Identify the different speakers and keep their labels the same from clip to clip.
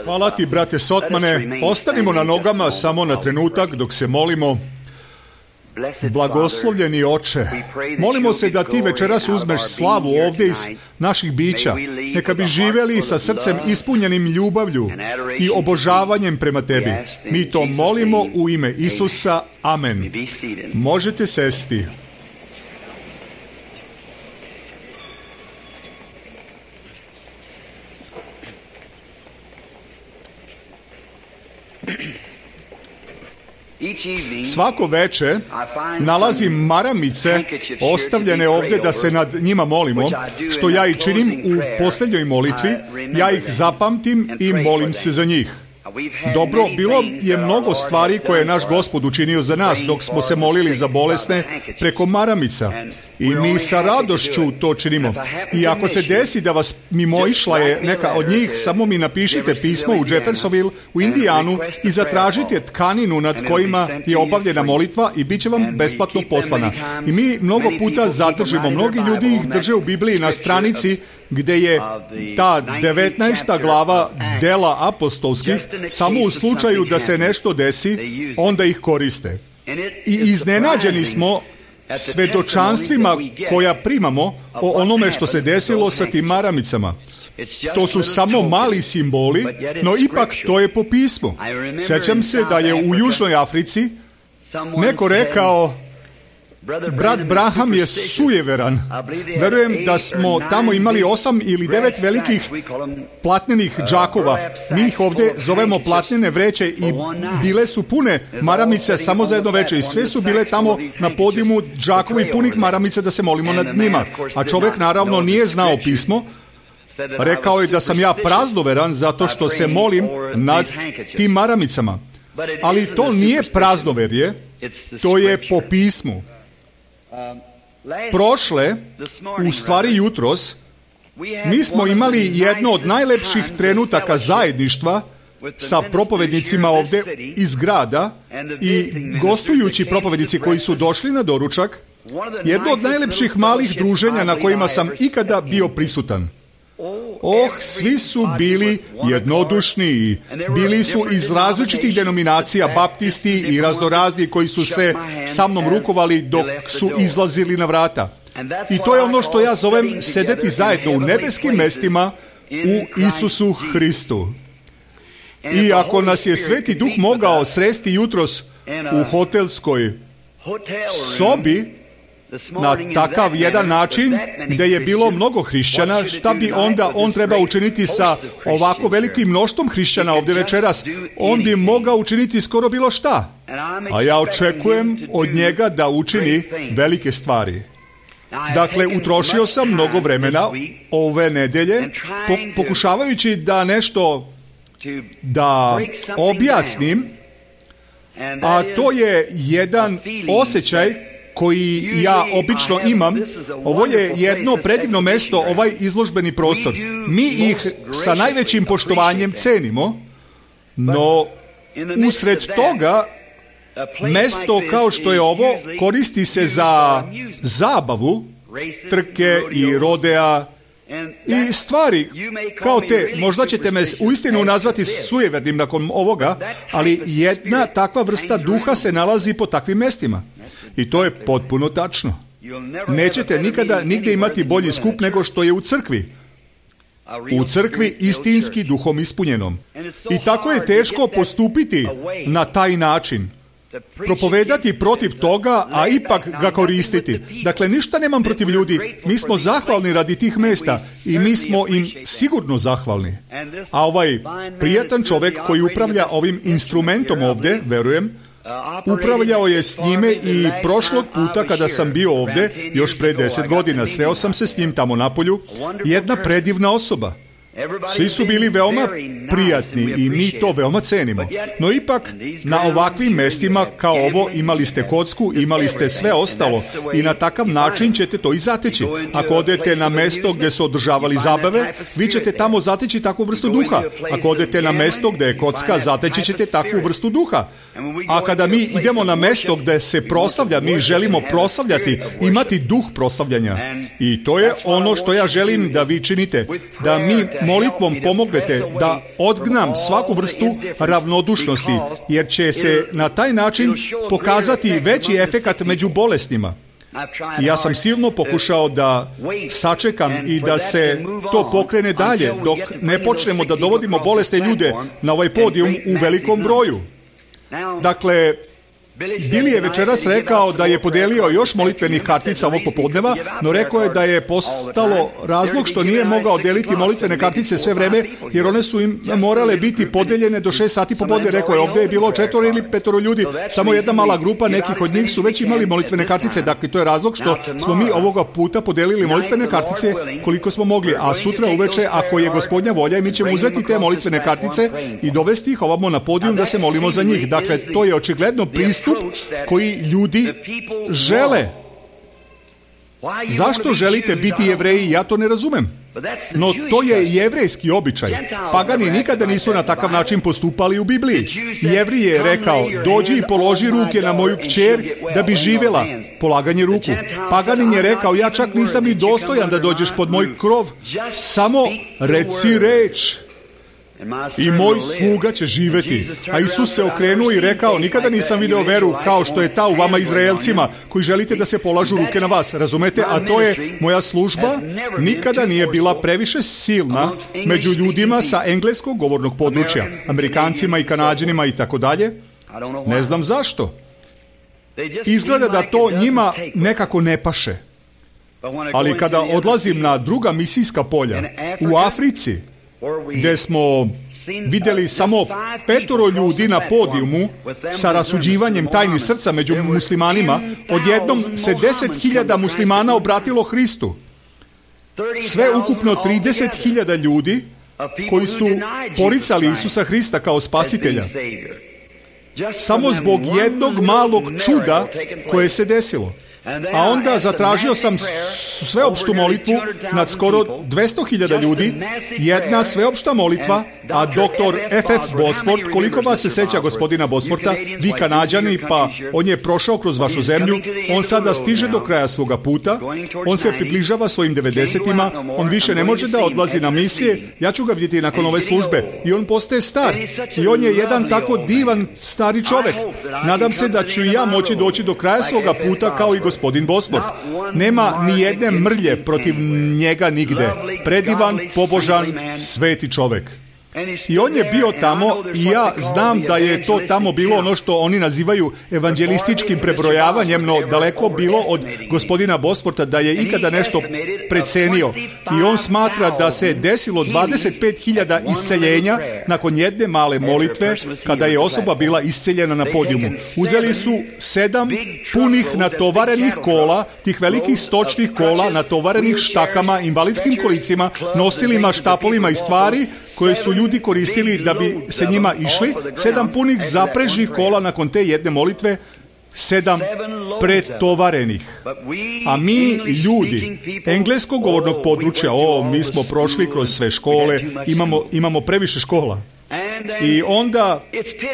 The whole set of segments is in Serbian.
Speaker 1: Hvala ti, brate Sotmane. Ostanimo na nogama samo na trenutak dok se molimo. Blagoslovljeni Oče, molimo se da ti večeras uzmeš slavu ovdje iz naših bića. Neka bi živjeli sa srcem ispunjenim ljubavlju i obožavanjem prema tebi. Mi to molimo u ime Isusa. Amen. Možete sesti. Svako veče nalazim maramice ostavljene ovdje da se nad njima molimo, što ja i činim u posljednjoj molitvi. Ja ih zapamtim i molim se za njih. Dobro, bilo je mnogo stvari koje je naš Gospod učinio za nas dok smo se molili za bolesne preko maramica. I mi sa radošću to činimo. I ako se desi da vas mimoišla je neka od njih, samo mi napišite pismo u Jeffersonville u Indijanu i zatražite tkaninu nad kojima je obavljena molitva i bit će vam besplatno poslana. I mi mnogo puta zadržimo, mnogi ljudi ih drže u Bibliji na stranici gdje je ta 19. glava dela apostolskih, samo u slučaju da se nešto desi, onda ih koriste. I iznenađeni smo svedočanstvima koja primamo o onome što se desilo sa tim maramicama. To su samo mali simboli, no ipak to je po pismu. Sjećam se da je u Južnoj Africi neko rekao: brat Branham je sujeveran. Verujem da smo tamo imali 8 ili 9 velikih platnenih džakova. Mi ih ovdje zovemo platnene vreće i bile su pune maramice samo za jedno veče. I sve su bile tamo na podijumu džakovi punih maramica da se molimo nad njima. A čovjek naravno nije znao pismo. Rekao je da sam ja praznoveran zato što se molim nad tim maramicama. Ali to nije praznoverje, to je po pismu. Prošle, u stvari jutros, mi smo imali jedno od najlepših trenutaka zajedništva sa propovednicima ovdje iz grada i gostujući propovednici koji su došli na doručak, jedno od najlepših malih druženja na kojima sam ikada bio prisutan. Svi su bili jednodušni i bili su iz različitih denominacija, baptisti i raznorazni koji su se sa mnom rukovali dok su izlazili na vrata. I to je ono što ja zovem sedeti zajedno u nebeskim mestima u Isusu Hristu. I ako nas je Sveti Duh mogao sresti jutros u hotelskoj sobi, na takav jedan način gdje je bilo mnogo hrišćana, šta bi onda on trebao učiniti sa ovako velikim mnoštvom hrišćana ovdje večeras? On bi mogao učiniti skoro bilo šta. A ja očekujem od njega da učini velike stvari. Dakle, utrošio sam mnogo vremena ove nedelje pokušavajući da nešto da objasnim, a to je jedan osjećaj koji ja obično imam. Ovo je jedno predivno mesto, ovaj izložbeni prostor. Mi ih sa najvećim poštovanjem cenimo, no usred toga mesto kao što je ovo koristi se za zabavu, trke i rodea i stvari kao te. Možda ćete me uistinu nazvati sujevernim nakon ovoga, ali jedna takva vrsta duha se nalazi po takvim mestima. I to je potpuno tačno. Nećete nikada nigdje imati bolji skup nego što je u crkvi. U crkvi istinski duhom ispunjenom. I tako je teško postupiti na taj način. Propovedati protiv toga, a ipak ga koristiti. Dakle, ništa nemam protiv ljudi. Mi smo zahvalni radi tih mesta i mi smo im sigurno zahvalni. A ovaj prijatan čovjek koji upravlja ovim instrumentom ovdje, verujem, upravljao je s njime i prošlog puta kada sam bio ovdje, još pre 10 godina, sreo sam se s njim tamo napolju, jedna predivna osoba. Svi su bili veoma prijatni i mi to veoma cenimo. No ipak, na ovakvim mestima kao ovo imali ste kocku, imali ste sve ostalo i na takav način ćete to i zateći. Ako odete na mesto gdje su održavali zabave, vi ćete tamo zateći takvu vrstu duha. Ako odete na mesto gdje je kocka, zateći ćete takvu vrstu duha. A kada mi idemo na mesto gdje se proslavlja, mi želimo proslavljati, imati duh proslavljanja. I to je ono što ja želim da vi činite, da mi molitvom pomognete da odgnam svaku vrstu ravnodušnosti, jer će se na taj način pokazati veći efekat među bolestima. Ja sam silno pokušao da sačekam i da se to pokrene dalje, dok ne počnemo da dovodimo bolesne ljude na ovaj podijum u velikom broju. Dakle, Billy je večeras rekao da je podelio još molitvenih kartica ovog popodneva, no rekao je da je postalo razlog što nije mogao deliti molitvene kartice sve vreme, jer one su im morale biti podeljene do 6 sati popodne. Rekao je, ovdje je bilo 4 ili 5 ljudi, samo jedna mala grupa, nekih od njih su već imali molitvene kartice. Dakle, to je razlog što smo mi ovoga puta podelili molitvene kartice koliko smo mogli, a sutra uveče, ako je Gospodnja volja, mi ćemo uzeti te molitvene kartice i dovesti ih ovamo na podijum da se molimo za njih. Dakle, to je očigledno pristup koji ljudi žele. Zašto želite biti Jevreji? Ja to ne razumem. No to je jevrejski običaj. Pagani nikada nisu na takav način postupali u Bibliji. Jevrij je rekao, dođi i položi ruke na moju kćer da bi živjela. Polaganje ruku. Paganin je rekao, ja čak nisam i dostojan da dođeš pod moj krov. Samo reci reč i moj sluga će živjeti. A Isus se okrenuo i rekao, nikada nisam video veru kao što je ta u vama Izraelcima, koji želite da se polažu ruke na vas. Razumete? A to je moja služba. Nikada nije bila previše silna među ljudima sa engleskog govornog područja, Amerikancima i Kanađanima i tako dalje. Ne znam zašto. Izgleda da to njima nekako ne paše. Ali kada odlazim na druga misijska polja u Africi, gdje smo vidjeli samo 5 ljudi na podijumu sa rasuđivanjem tajni srca među muslimanima, odjednom se 10.000 muslimana obratilo Hristu. Sve ukupno 30.000 ljudi koji su poricali Isusa Hrista kao spasitelja. Samo zbog jednog malog čuda koje se desilo. A onda zatražio sam sveopštu molitvu nad skoro 200.000 ljudi, jedna sveopšta molitva, a doktor F.F. Bosford, koliko vas se seća gospodina Bosforta, vi Kanađani, pa on je prošao kroz vašu zemlju, on sada stiže do kraja svoga puta, on se približava svojim 90-ima, on više ne može da odlazi na misije, ja ću ga vidjeti nakon ove službe, i on postaje star, i on je jedan tako divan stari čovek. Nadam se da ću i ja moći doći do kraja svoga puta kao i gospodin Bosford. Nema ni jedne mrlje protiv njega nigde. Predivan, pobožan, sveti čovek. I on je bio tamo i ja znam da je to tamo bilo ono što oni nazivaju evanđelističkim prebrojavanjem, no daleko bilo od gospodina Bosforta da je ikada nešto precenio. I on smatra da se desilo 25.000 isceljenja nakon jedne male molitve kada je osoba bila isceljena na podijumu. Uzeli su 7 punih natovarenih kola, tih velikih stočnih kola natovarenih štakama, invalidskim kolicima, nosilima, štapovima i stvari koje su ljudi koristili da bi se njima išli, 7 punih zaprežnih kola nakon te jedne molitve, 7 pretovarenih. A mi, ljudi engleskog govornog područja, mi smo prošli kroz sve škole, imamo previše škola. I onda,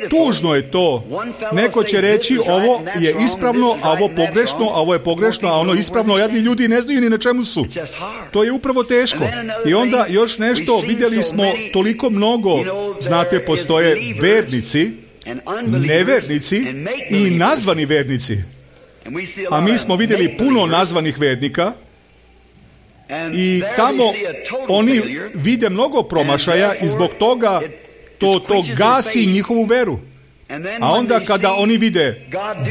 Speaker 1: tužno je to. Neko će reći, ovo je ispravno, a ovo pogrešno, a ovo je pogrešno, a ono ispravno, jadni ljudi ne znaju ni na čemu su. To je upravo teško. I onda još nešto, vidjeli smo toliko mnogo, znate, postoje vernici, nevernici i nazvani vernici. A mi smo vidjeli puno nazvanih vernika, i tamo oni vide mnogo promašaja i zbog toga to gasi njihovu veru. A onda kada oni vide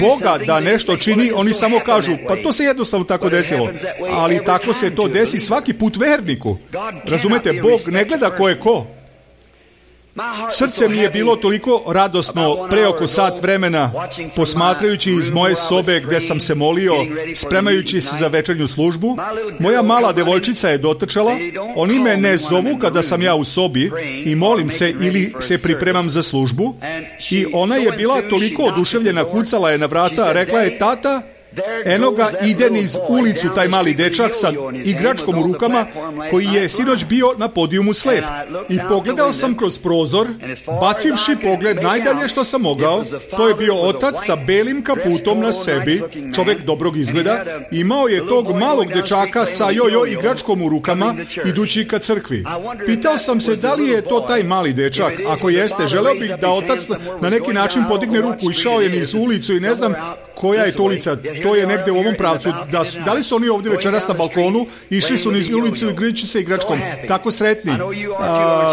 Speaker 1: Boga da nešto čini, oni samo kažu, pa to se jednostavno tako desilo. Ali tako se to desi svaki put verniku. Razumete, Bog ne gleda ko je ko. Srce mi je bilo toliko radosno pre oko sat vremena, posmatrajući iz moje sobe gdje sam se molio, spremajući se za večernju službu. Moja mala devojčica je dotrčala, oni me ne zovu kada sam ja u sobi i molim se ili se pripremam za službu, i ona je bila toliko oduševljena, kucala je na vrata, rekla je, tata, Eno ga ide niz ulicu taj mali dečak sa igračkom u rukama koji je sinoć bio na podijumu slep. I pogledao sam kroz prozor, bacivši pogled najdalje što sam mogao. To je bio otac sa belim kaputom na sebi, čovjek dobrog izgleda. Imao je tog malog dečaka sa jojo igračkom u rukama idući ka crkvi. Pitao sam se da li je to taj mali dečak. Ako jeste, želeo bih da otac na neki način podigne ruku. Išao je niz ulicu i ne znam koja je to ulica. To je negde u ovom pravcu. Da li su oni ovdje večeras na balkonu, išli su niz ulicu i igrajući se igračkom. Tako sretni.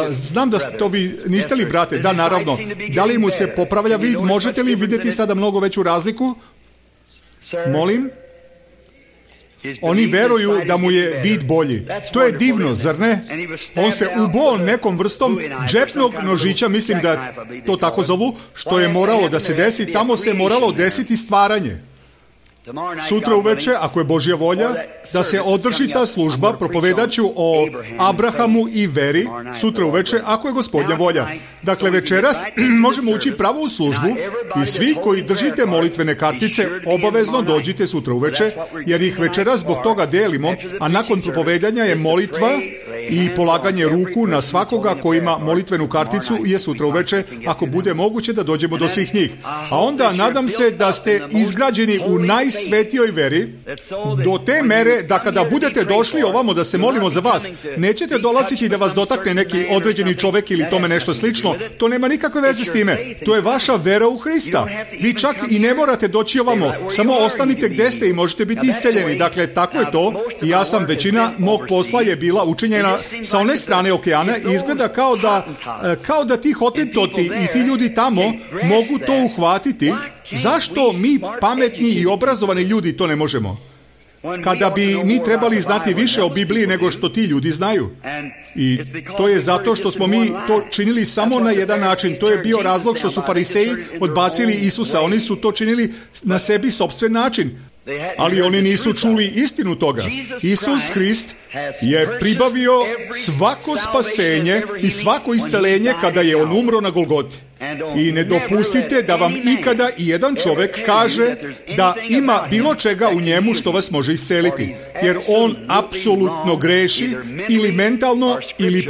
Speaker 1: Znam da ste to vi, niste li brate? Da, naravno. Da li mu se popravlja vid? Možete li vidjeti sada mnogo veću razliku? Molim? Oni veruju da mu je vid bolji. To je divno, zar ne? On se ubo nekom vrstom džepnog nožića, mislim da to tako zovu, što je moralo da se desi. Tamo se moralo desiti stvaranje. Sutra uveče, ako je Božja volja, da se održi ta služba, propovedaću o Abrahamu i veri, sutra uveče, ako je Gospodnja volja. Dakle, večeras možemo ući pravo u službu i svi koji držite molitvene kartice, obavezno dođite sutra uveče, jer ih večeras zbog toga delimo, a nakon propovedanja je molitva i polaganje ruku na svakoga ko ima molitvenu karticu je sutra uveče, ako bude moguće da dođemo do svih njih. A onda nadam se da ste izgrađeni u najsvetijoj veri, do te mere da kada budete došli ovamo da se molimo za vas, nećete dolaziti da vas dotakne neki određeni čovjek ili tome nešto slično. To nema nikakve veze s time. To je vaša vera u Hrista. Vi čak i ne morate doći ovamo. Samo ostanite gdje ste i možete biti isceljeni. Dakle, tako je to. I ja sam, većina mog posla je bila učinjena sa one strane okeana i izgleda kao da ti hotentoti i ti ljudi tamo mogu to uhvatiti. Zašto mi pametni i obrazovani ljudi to ne možemo? Kada bi mi trebali znati više o Bibliji nego što ti ljudi znaju. I to je zato što smo mi to činili samo na jedan način. To je bio razlog što su fariseji odbacili Isusa. Oni su to činili na sebi sopstven način. Ali oni nisu čuli istinu toga. Isus Hrist je pribavio svako spasenje i svako iscelenje kada je on umro na Golgoti. I ne dopustite da vam ikada i jedan čovjek kaže da ima bilo čega u njemu što vas može isceliti. Jer on apsolutno greši ili mentalno ili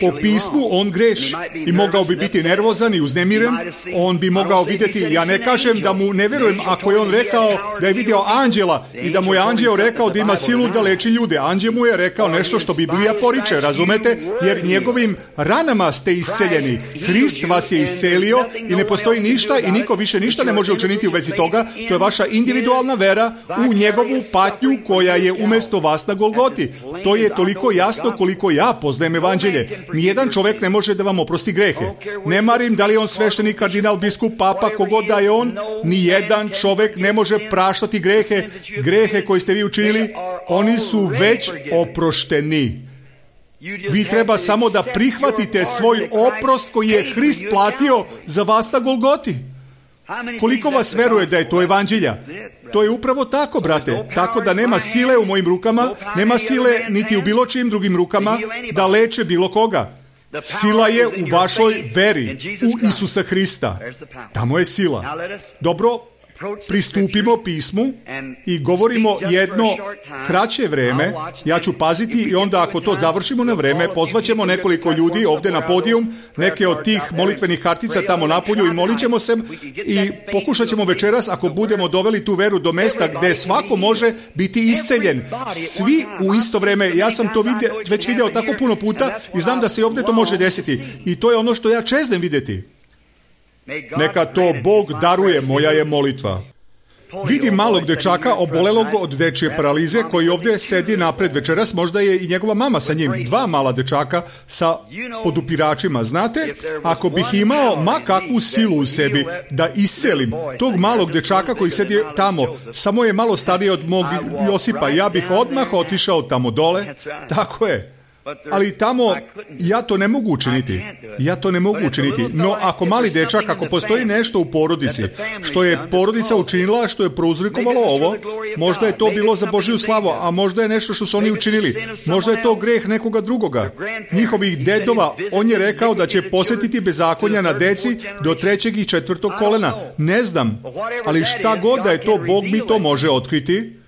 Speaker 1: po pismu on greši. I mogao bi biti nervozan i uznemiren. On bi mogao vidjeti, ja ne kažem da mu ne vjerujem ako je on rekao da je vidio anđela i da mu je anđeo rekao da ima silu da leči ljude. Anđel mu je rekao nešto što Biblija poriče, razumete? Jer njegovim ranama ste isceljeni. Hrist vas je iscelio i ne postoji ništa i niko više ništa ne može učiniti u vezi toga. To je vaša individualna vera u njegovu patnju koja je umjesto vas na Golgoti. To je toliko jasno koliko ja poznajem evanđelje. Nijedan čovjek ne može da vam oprosti grehe. Ne marim da li je on sveštenik, kardinal, biskup, papa, kogod da je on. Nijedan čovjek ne može praštati grehe koje ste vi učinili. Oni su već oprošteni. Vi treba samo da prihvatite svoj oprost koji je Hrist platio za vas na Golgoti. Koliko vas veruje da je to evanđelja? To je upravo tako, brate. Tako da nema sile u mojim rukama, nema sile niti u bilo čijim drugim rukama da leče bilo koga. Sila je u vašoj veri, u Isusa Hrista. Tamo je sila. Dobro, pristupimo pismu i govorimo jedno kraće vreme. Ja ću paziti i onda ako to završimo na vreme, pozvaćemo nekoliko ljudi ovdje na podijum, neke od tih molitvenih kartica tamo napolju i molit ćemo se i pokušat ćemo večeras, ako budemo doveli tu veru do mesta gdje svako može biti isceljen. Svi u isto vreme. Ja sam to već video tako puno puta i znam da se ovdje to može desiti. I to je ono što ja čeznem vidjeti. Neka to Bog daruje, moja je molitva. Vidim malog dečaka obolelog od dečje paralize koji ovdje sedi napred večeras, možda je i njegova mama sa njim, 2 mala dečaka sa podupiračima. Znate, ako bih imao ma kakvu silu u sebi da iscelim tog malog dečaka koji sedi tamo, samo je malo stariji od mog Josipa, ja bih odmah otišao tamo dole. Tako je. Ali tamo ja to ne mogu učiniti. Ja to ne mogu učiniti. No, ako mali dečak, ako postoji nešto u porodici, što je porodica učinila, što je prouzrokovalo ovo, možda je to bilo za Božju slavu, a možda je nešto što su oni učinili. Možda je to greh nekoga drugoga. Njihovih dedova, on je rekao da će posjetiti bezakonja na deci do 3. i 4. kolena. Ne znam, ali šta god da je to, Bog mi to može otkriti.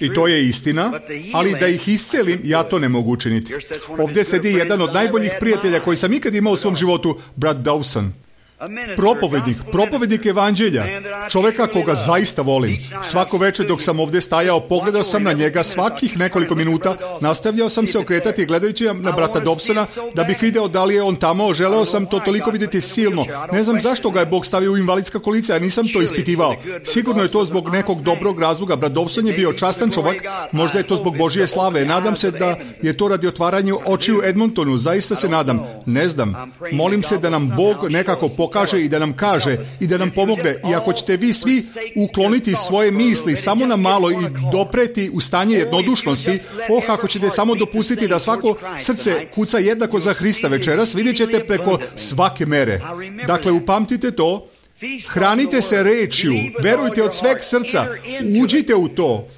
Speaker 1: I to je istina, ali da ih iscelim, ja to ne mogu učiniti. Ovdje sedi jedan od najboljih prijatelja koji sam ikad imao u svom životu, brat Dawson. Propovednik evanđelja, čovjeka koga zaista volim. Svako večer dok sam ovdje stajao, pogledao sam na njega svakih nekoliko minuta, nastavljao sam se okretati gledajući na brata Dobsona da bih video da li je on tamo, želeo sam to toliko vidjeti silno. Ne znam zašto ga je Bog stavio u invalidska kolica, ja nisam to ispitivao. Sigurno je to zbog nekog dobrog razloga. Brat Dobson je bio častan čovjek, možda je to zbog Božje slave. Nadam se da je to radi otvaranja očiju Edmontonu, zaista se nadam. Ne znam, molim se da nam Bog nekako pokaže i da nam kaže i da nam pomogne. I ako ćete vi svi ukloniti svoje misli samo na malo i dopreti u stanje jednodušnosti, ako ćete samo dopustiti da svako srce kuca jednako za Hrista večeras, vidjet ćete preko svake mere. Dakle, upamtite to, hranite se rečju, verujte od sveg srca, uđite u to,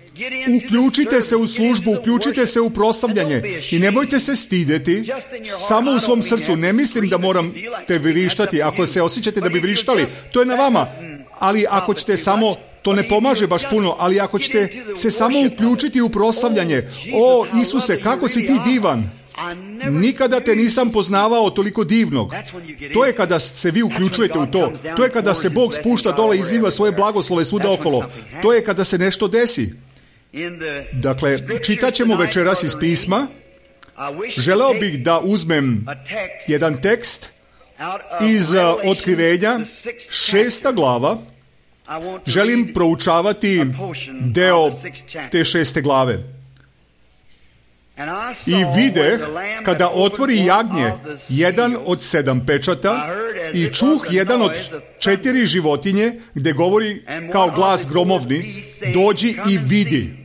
Speaker 1: uključite se u službu, uključite se u proslavljanje i nemojte se stideti samo u svom srcu. Ne mislim da morate vrištati. Ako se osjećate da bi vrištali, to je na vama. Ali ako ćete samo, to ne pomaže baš puno, ali ako ćete se samo uključiti u proslavljanje, o Isuse, kako si ti divan! Nikada te nisam poznavao toliko divnog. To je kada se vi uključujete u to. To je kada se Bog spušta dole i izliva svoje blagoslove svuda okolo. To je kada se nešto desi. Dakle, čitat ćemo večeras iz pisma. Želeo bih da uzmem jedan tekst iz Otkrivenja, 6. glava. Želim proučavati deo te 6. glave. I vide, kada otvori jagnje jedan od 7 pečata i čuh jedan od 4 životinje, gdje govori kao glas gromovni, dođi i vidi.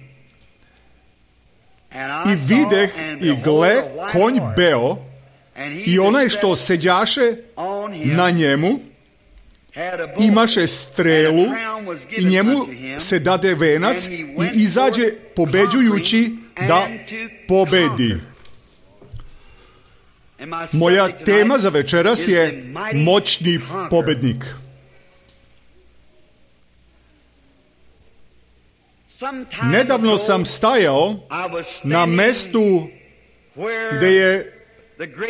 Speaker 1: I videh i gle, konj beo, i onaj što seđaše na njemu imaše strelu i njemu se dade venac i izađe pobeđujući da pobedi. Moja tema za večeras je moćni pobednik. Nedavno sam stajao na mestu gdje je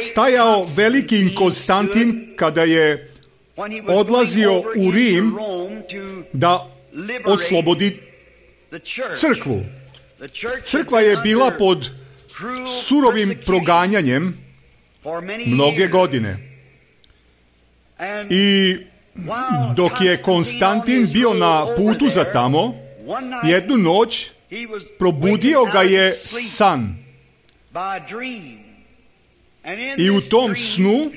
Speaker 1: stajao veliki Konstantin kada je odlazio u Rim da oslobodi crkvu. Crkva je bila pod surovim proganjanjem mnoge godine. I dok je Konstantin bio na putu za tamo, jednu noć probudio ga je san. I u tom snu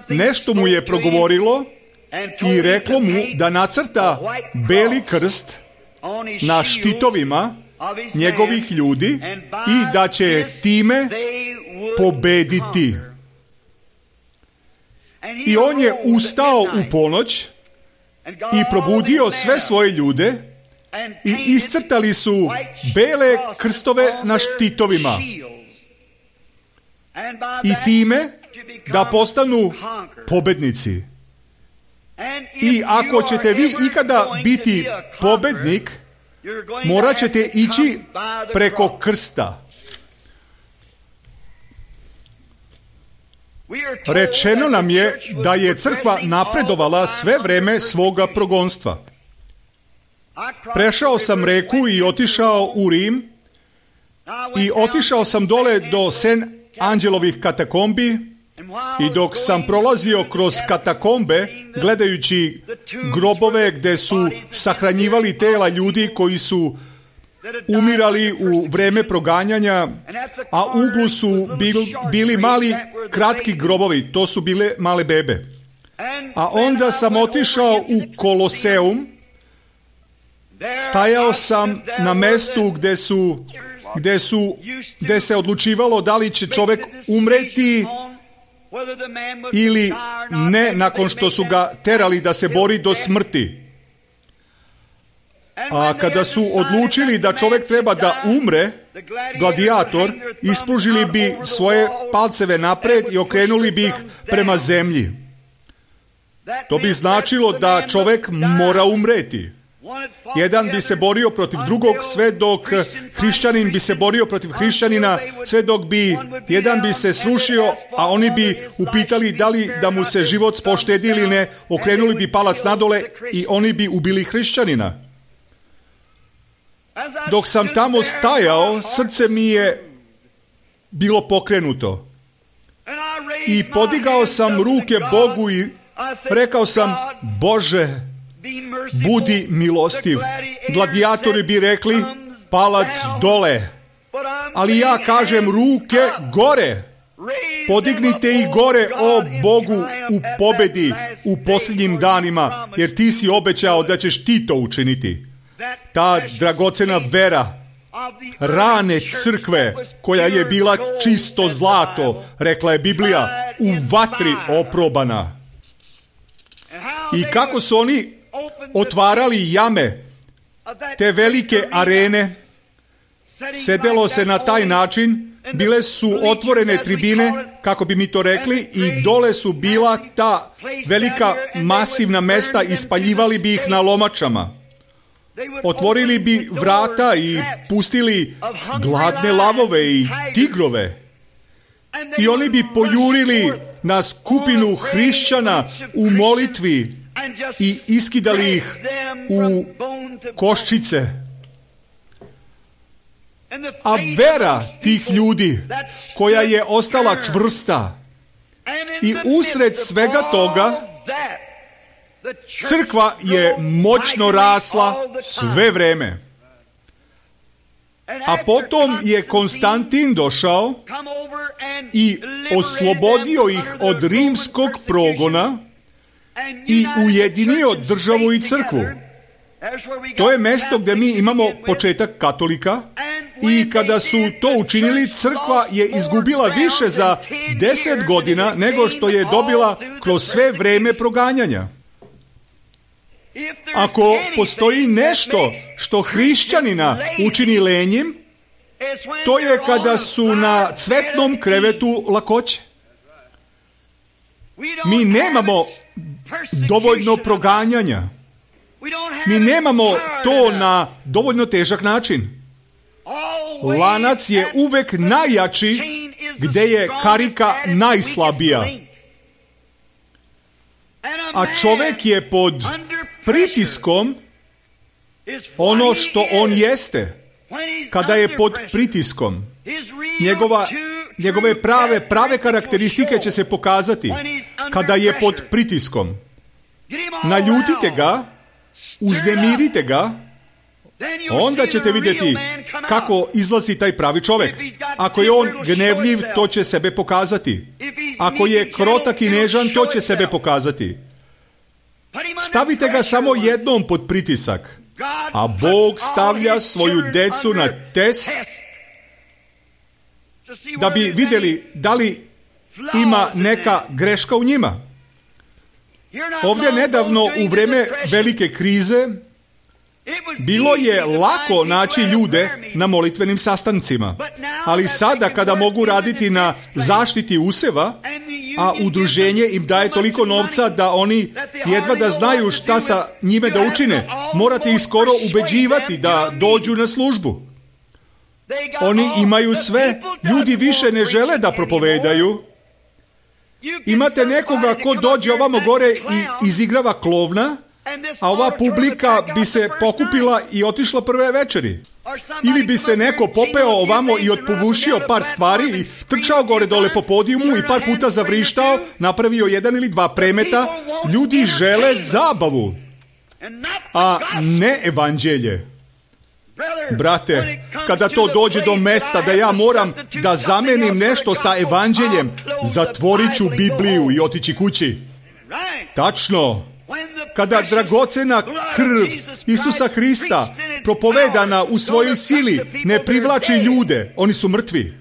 Speaker 1: nešto mu je progovorilo i reklo mu da nacrta beli krst na štitovima njegovih ljudi i da će time pobediti. I on je ustao u ponoć i probudio sve svoje ljude i iscrtali su bele krstove na štitovima. I time da postanu pobednici. I ako ćete vi ikada biti pobednik, morat ćete ići preko krsta. Rečeno nam je da je crkva napredovala sve vreme svoga progonstva. Prešao sam reku i otišao u Rim i otišao sam dole do Sen Anđelovih katakombi i dok sam prolazio kroz katakombe gledajući grobove gdje su sahranjivali tela ljudi koji su umirali u vreme proganjanja, a u uglu su bili mali kratki grobovi, to su bile male bebe. A onda sam otišao u Koloseum, stajao sam na mestu gdje se odlučivalo da li će čovjek umreti ili ne nakon što su ga terali da se bori do smrti. A kada su odlučili da čovjek treba da umre, gladijator, ispružili bi svoje palceve napred i okrenuli bi ih prema zemlji. To bi značilo da čovjek mora umreti. Jedan bi se borio protiv drugog, sve dok hrišćanin bi se borio protiv hrišćanina, sve dok bi jedan bi se srušio, a oni bi upitali da li da mu se život poštedi ili ne, okrenuli bi palac nadole i oni bi ubili hrišćanina. Dok sam tamo stajao, srce mi je bilo pokrenuto. I podigao sam ruke Bogu i rekao sam: Bože, budi milostiv. Gladijatori bi rekli: palac dole. Ali ja kažem: ruke gore. Podignite ih gore, o Bogu, u pobedi u posljednjim danima, jer ti si obećao da ćeš ti to učiniti. Ta dragocena vera rane crkve, koja je bila čisto zlato, rekla je Biblija, u vatri oprobana. I kako su oni otvarali jame, te velike arene, sedelo se na taj način, bile su otvorene tribine, kako bi mi to rekli, i dole su bila ta velika masivna mesta, ispaljivali bi ih na lomačama. Otvorili bi vrata i pustili gladne lavove i tigrove. I oni bi pojurili na skupinu hrišćana u molitvi i iskidali ih u koščice. A vera tih ljudi, koja je ostala čvrsta, i usred svega toga crkva je moćno rasla sve vreme. A potom je Konstantin došao i oslobodio ih od rimskog progona i ujedinio državu i crkvu. To je mjesto gdje mi imamo početak katolika, i kada su to učinili, crkva je izgubila više za 10 godina nego što je dobila kroz sve vreme proganjanja. Ako postoji nešto što hrišćanina učini lenjim, to je kada su na cvetnom krevetu lakoće. Mi nemamo dovoljno proganjanja. Mi nemamo to na dovoljno težak način. Lanac je uvek najjači gdje je karika najslabija. A čovjek je pod pritiskom ono što on jeste. Kada je pod pritiskom, njegove prave karakteristike će se pokazati. Kada je pod pritiskom, naljutite ga, uznemirite ga, onda ćete vidjeti kako izlazi taj pravi čovjek. Ako je on gnevljiv, to će sebe pokazati. Ako je krotak i nežan, to će sebe pokazati. Stavite ga samo jednom pod pritisak, a Bog stavlja svoju decu na test da bi vidjeli da li ima neka greška u njima. Ovdje nedavno, u vrijeme velike krize, bilo je lako naći ljude na molitvenim sastancima, ali sada kada mogu raditi na zaštiti useva, a udruženje im daje toliko novca da oni jedva da znaju šta sa njime da učine, morate ih skoro ubeđivati da dođu na službu. Oni imaju sve, ljudi više ne žele da propovedaju. Imate nekoga ko dođe ovamo gore i izigrava klovna, a ova publika bi se pokupila i otišla prve večeri. Ili bi se neko popeo ovamo i otpovušio par stvari i trčao gore dole po podijumu i par puta zavrištao, napravio 1 ili 2 premeta. Ljudi žele zabavu, a ne evanđelje. Brate, kada to dođe do mesta da ja moram da zamenim nešto sa evanđeljem, zatvorit ću Bibliju i otići kući. Tačno. Kada dragocena krv Isusa Hrista, propovedana u svojoj sili, ne privlači ljude, oni su mrtvi.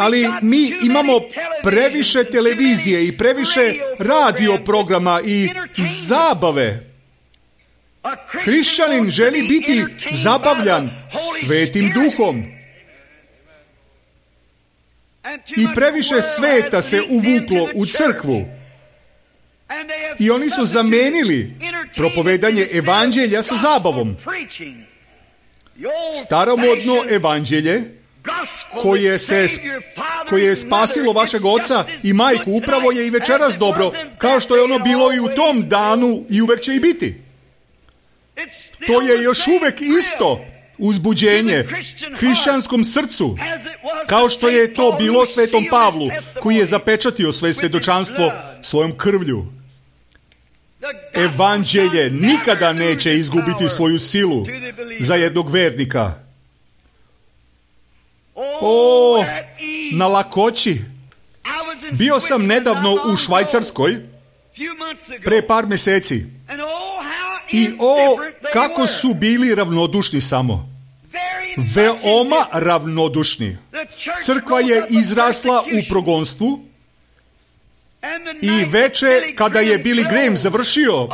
Speaker 1: Ali mi imamo previše televizije i previše radio programa i zabave. Hrišćanin želi biti zabavljan Svetim Duhom. I previše sveta se uvuklo u crkvu. I oni su zamenili propovedanje evanđelja sa zabavom. Staromodno evanđelje koje je spasilo vašeg oca i majku upravo je i večeras dobro, kao što je ono bilo i u tom danu i uvek će i biti. To je još uvek isto uzbuđenje hrišćanskom srcu, kao što je to bilo svetom Pavlu, koji je zapečatio svoje svedočanstvo svojom krvlju. Evanđelje nikada neće izgubiti svoju silu za jednog vernika. O, na lakoći. Bio sam nedavno u Švajcarskoj, pre par meseci. I kako su bili ravnodušni samo. Veoma ravnodušni. Crkva je izrasla u progonstvu i veče kada je Billy Graham završio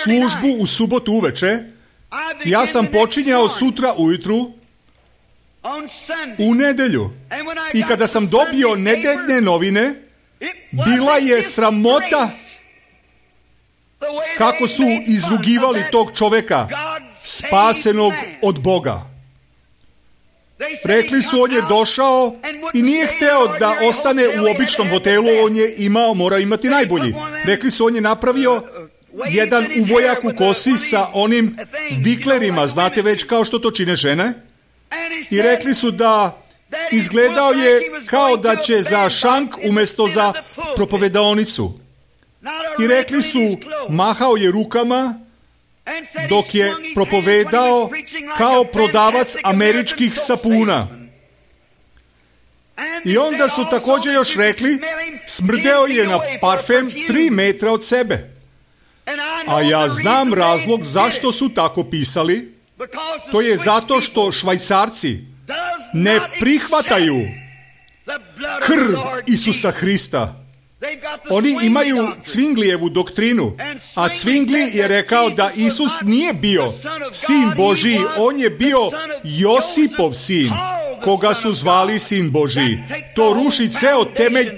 Speaker 1: službu u subotu uveče, ja sam počinjao sutra ujutru u nedelju. I kada sam dobio nedeljne novine, bila je sramota kako su izrugivali tog čoveka, spasenog od Boga. Rekli su, on je došao i nije hteo da ostane u običnom hotelu, on je morao imati najbolji. Rekli su, on je napravio jedan uvojak u kosi sa onim viklerima, znate već kao što to čine žene. I rekli su da izgledao je kao da će za šank umjesto za propovedaonicu. I rekli su, mahao je rukama dok je propovedao kao prodavac američkih sapuna. I onda su također još rekli, smrdeo je na parfem 3 metra od sebe. A ja znam razlog zašto su tako pisali. To je zato što Švajcarci ne prihvataju krv Isusa Hrista. Oni imaju Cvinglijevu doktrinu, a Cvingli je rekao da Isus nije bio sin Božiji, on je bio Josipov sin, koga su zvali sin Božiji. To ruši ceo temelj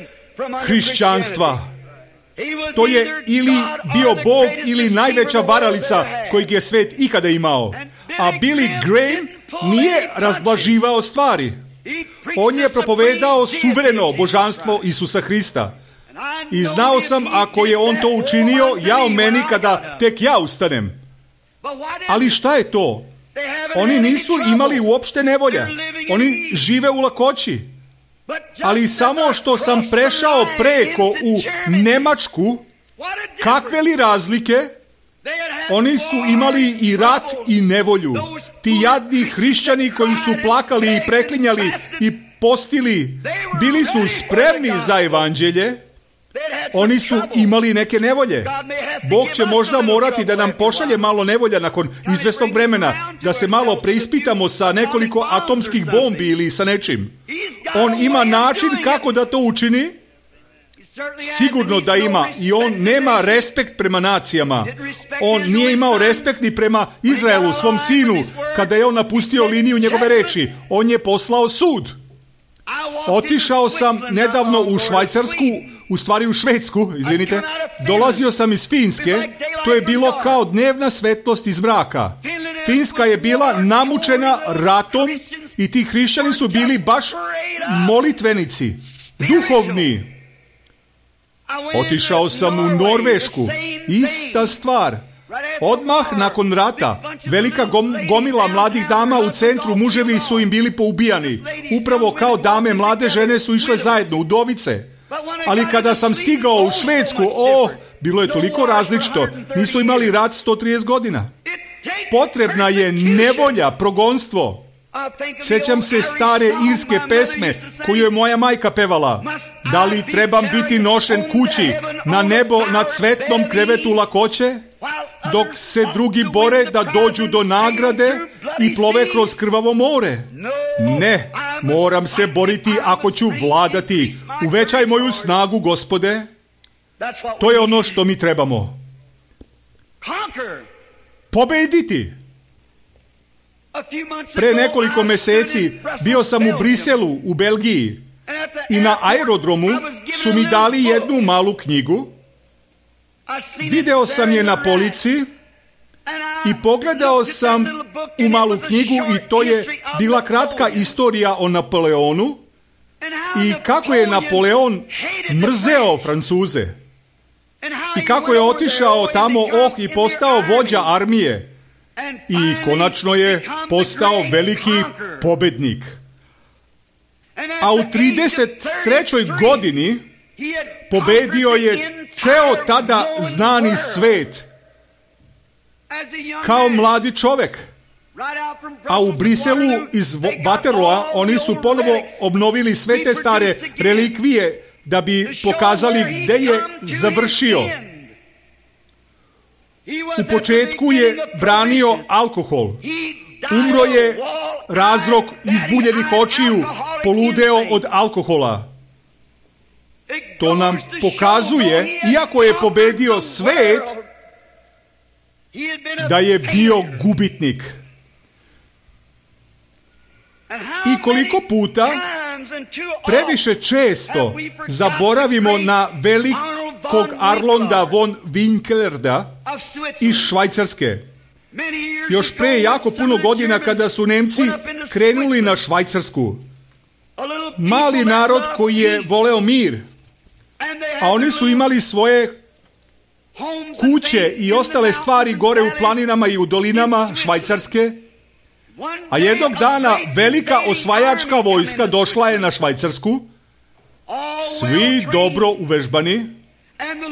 Speaker 1: hrišćanstva. To je ili bio Bog ili najveća varalica kojeg je svet ikada imao. A Billy Graham nije razblaživao stvari. On je propovedao suvereno božanstvo Isusa Hrista. I znao sam, ako je on to učinio, jao meni kada tek ja ustanem. Ali šta je to? Oni nisu imali uopšte nevolja. Oni žive u lakoći. Ali samo što sam prešao preko u Nemačku, kakve li razlike? Oni su imali i rat i nevolju. Ti jadni hrišćani koji su plakali i preklinjali i postili, bili su spremni za evanđelje. Oni su imali neke nevolje. Bog će možda morati da nam pošalje malo nevolja nakon izvesnog vremena, da se malo preispitamo sa nekoliko atomskih bombi ili sa nečim. On ima način kako da to učini. Sigurno da ima. I on nema respekt prema nacijama. On nije imao respekt ni prema Izraelu, svom sinu, kada je on napustio liniju njegove reči. On je poslao sud. Otišao sam nedavno u Švajcarsku, u stvari u Švedsku, izvinite. Dolazio sam iz Finske. To je bilo kao dnevna svetlost iz mraka. Finska je bila namučena ratom i ti hrišćani su bili baš molitvenici, duhovni. Otišao sam u Norvešku. Ista stvar. Odmah nakon rata, velika gomila mladih dama u centru, muževi su im bili poubijani. Upravo kao dame, mlade žene su išle zajedno, udovice. Ali kada sam stigao u Švedsku, bilo je toliko različito. Nisu imali rat 130 godina. Potrebna je nevolja, progonstvo. Sjećam se stare irske pesme koju je moja majka pevala. Da li trebam biti nošen kući, na nebo, na cvetnom krevetu lakoće, dok se drugi bore da dođu do nagrade i plove kroz krvavo more? Ne, Moram se boriti ako ću vladati. Uvećaj moju snagu, Gospode. To je ono što mi trebamo. Pobediti. Pre nekoliko meseci bio sam u Briselu, u Belgiji, i na aerodromu su mi dali jednu malu knjigu. Video sam je na polici i pogledao sam u malu knjigu i to je bila kratka istorija o Napoleonu i kako je Napoleon mrzeo Francuze i kako je otišao tamo i postao vođa armije i konačno je postao veliki pobednik. A u 33. godini pobedio je ceo tada znani svet kao mladi čovek. A u Briselu iz Waterloa oni su ponovo obnovili sve te stare relikvije da bi pokazali gde je završio. U početku je branio alkohol. Umro je razlog izbuljenih očiju, poludeo od alkohola. To nam pokazuje, iako je pobedio svet, da je bio gubitnik. I koliko puta, previše često, zaboravimo na velikog Arnolda von Winkelrida iz Švajcarske. Još pre jako puno godina kada su Nemci krenuli na Švajcarsku. Mali narod koji je voleo mir, a oni su imali svoje kuće i ostale stvari gore u planinama i u dolinama Švajcarske, a jednog dana velika osvajačka vojska došla je na Švajcarsku, svi dobro uvežbani,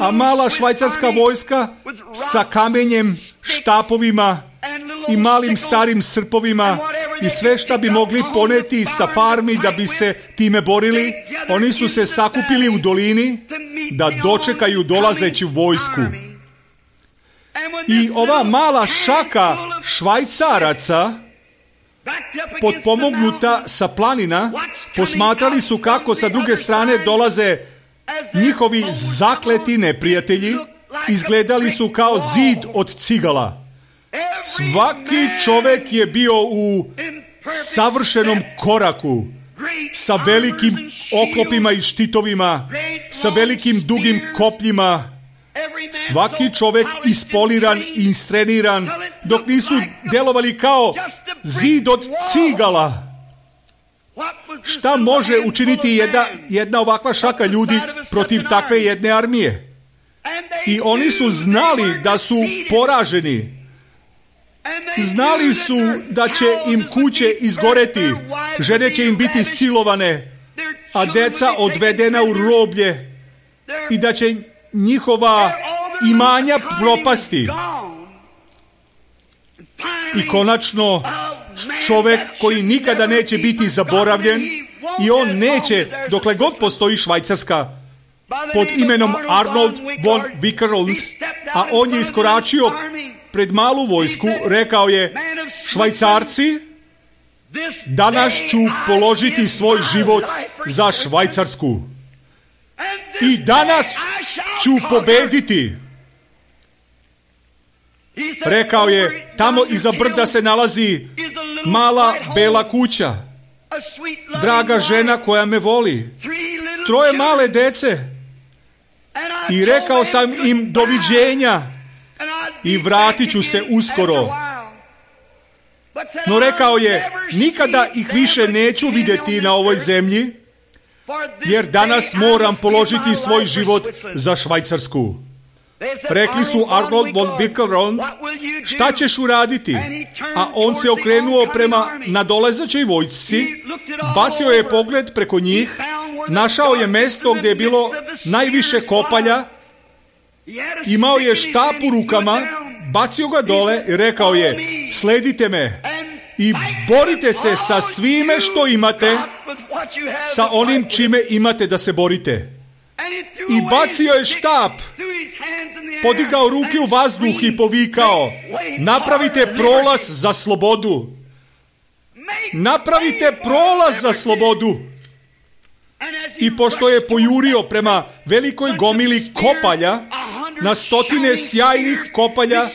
Speaker 1: a mala švajcarska vojska sa kamenjem, štapovima i malim starim srpovima i sve šta bi mogli poneti sa farmi da bi se time borili, oni su se sakupili u dolini da dočekaju dolazeću vojsku. I ova mala šaka Švajcaraca, potpomognuta sa planina, posmatrali su kako sa druge strane dolaze njihovi zakleti neprijatelji, izgledali su kao zid od cigala. Svaki čovek je bio u savršenom koraku, sa velikim oklopima i štitovima, sa velikim dugim kopljima. Svaki čovek ispoliran i instreniran, dok nisu delovali kao zid od cigala. Šta može učiniti jedna ovakva šaka ljudi protiv takve jedne armije? I oni su znali da su poraženi. Znali su da će im kuće izgoreti, žene će im biti silovane, a deca odvedena u roblje i da će njihova imanja propasti. I konačno, čovek koji nikada neće biti zaboravljen i on neće, dokle god postoji Švajcarska, pod imenom Arnold von Winkelried, a on je iskoračio pred malu vojsku, rekao je: Švajcarci, danas ću položiti svoj život za Švajcarsku. I danas ću pobediti. Rekao je, tamo iza brda se nalazi mala bela kuća, draga žena koja me voli, 3 male dece. I rekao sam im doviđenja i vratit ću se uskoro. No rekao je, nikada ih više neću vidjeti na ovoj zemlji, jer danas moram položiti svoj život za Švajcarsku. Rekli su Arnold von Winkelried, šta ćeš uraditi? A on se okrenuo prema nadolazećoj vojsci, bacio je pogled preko njih, našao je mesto gdje je bilo najviše kopalja, imao je štap u rukama, bacio ga dole i rekao je: sledite me i borite se sa svime što imate, sa onim čime imate da se borite. I bacio je štap, podigao ruke u vazduh i povikao: napravite prolaz za slobodu, napravite prolaz za slobodu. I pošto je pojurio prema velikoj gomili kopalja, na stotine sjajnih kopalja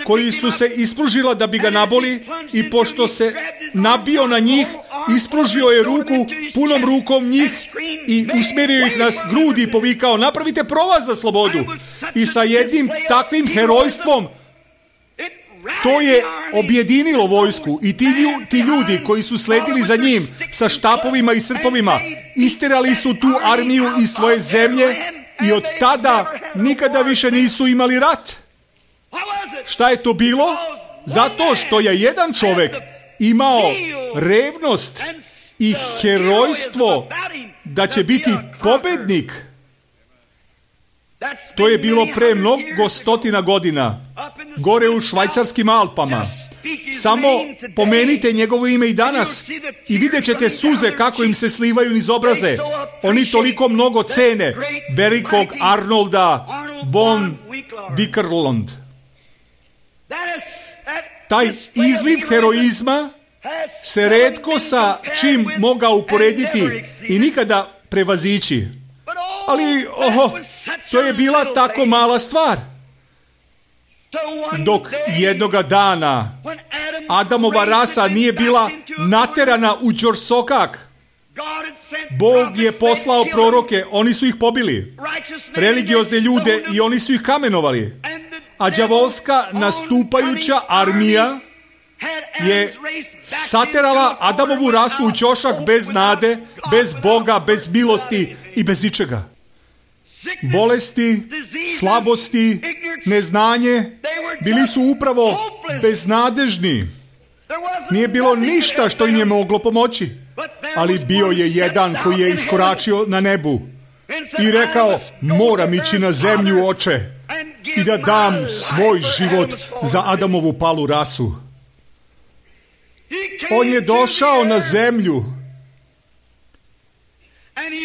Speaker 1: koji su se ispružila da bi ga naboli, i pošto se nabio na njih, ispružio je ruku punom rukom njih i usmjerio ih na grudi i povikao, napravite prolaz za slobodu. I sa jednim takvim herojstvom to je objedinilo vojsku, i ti ljudi koji su sledili za njim sa štapovima i srpovima isterali su tu armiju iz svoje zemlje i od tada nikada više nisu imali rat. Šta je to bilo? Zato što je jedan čovjek imao revnost i herojstvo da će biti pobednik. To je bilo pre mnogo stotina godina, gore u švajcarskim Alpama. Samo pomenite njegovo ime i danas i vidjet ćete suze kako im se slivaju niz obraze. Oni toliko mnogo cene velikog Arnolda von Wickerlund. Taj izliv heroizma se retko sa čim mogao uporediti i nikada prevazići. Ali, to je bila tako mala stvar. Dok jednoga dana Adamova rasa nije bila naterana u ćorsokak, Bog je poslao proroke, oni su ih pobili. Religiozne ljude i oni su ih kamenovali. A đavolska nastupajuća armija je saterala Adamovu rasu u ćošak bez nade, bez Boga, bez milosti i bez ičega. Bolesti, slabosti, neznanje bili su upravo beznadežni. Nije bilo ništa što im je moglo pomoći. Ali bio je jedan koji je iskoračio na nebu i rekao, moram ići na zemlju, oče, i da dam svoj život za Adamovu palu rasu. On je došao na zemlju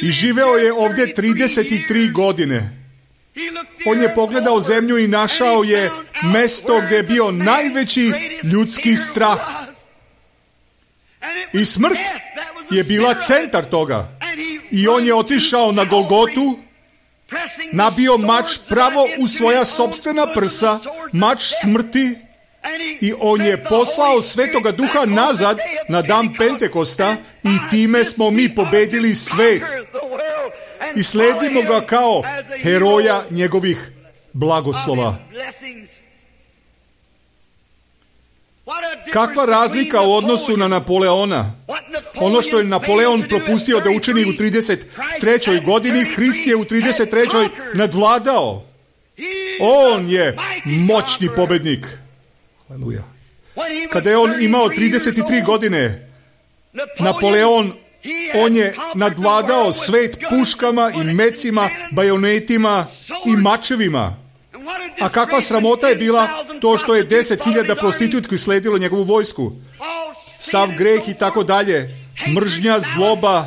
Speaker 1: i živeo je ovdje 33 godine. On je pogledao zemlju i našao je mesto gdje je bio najveći ljudski strah. I smrt je bila centar toga. I on je otišao na Golgotu, nabio mač pravo u svoja sopstvena prsa, mač smrti, i on je poslao Svetoga Duha nazad na dan Pentekosta i time smo mi pobedili svet. I sledimo ga kao heroja njegovih blagoslova. Kakva razlika u odnosu na Napoleona? Ono što je Napoleon propustio da učini u 33. godini, Hrist je u 33. nadvladao. On je moćni pobednik. Aleluja. Kada je on imao 33 godine, Napoleon, on je nadvladao svet puškama i mecima, bajonetima i mačevima. A kakva sramota je bila to što je 10.000 prostitutki sledilo njegovu vojsku. Sav greh i tako dalje, mržnja, zloba.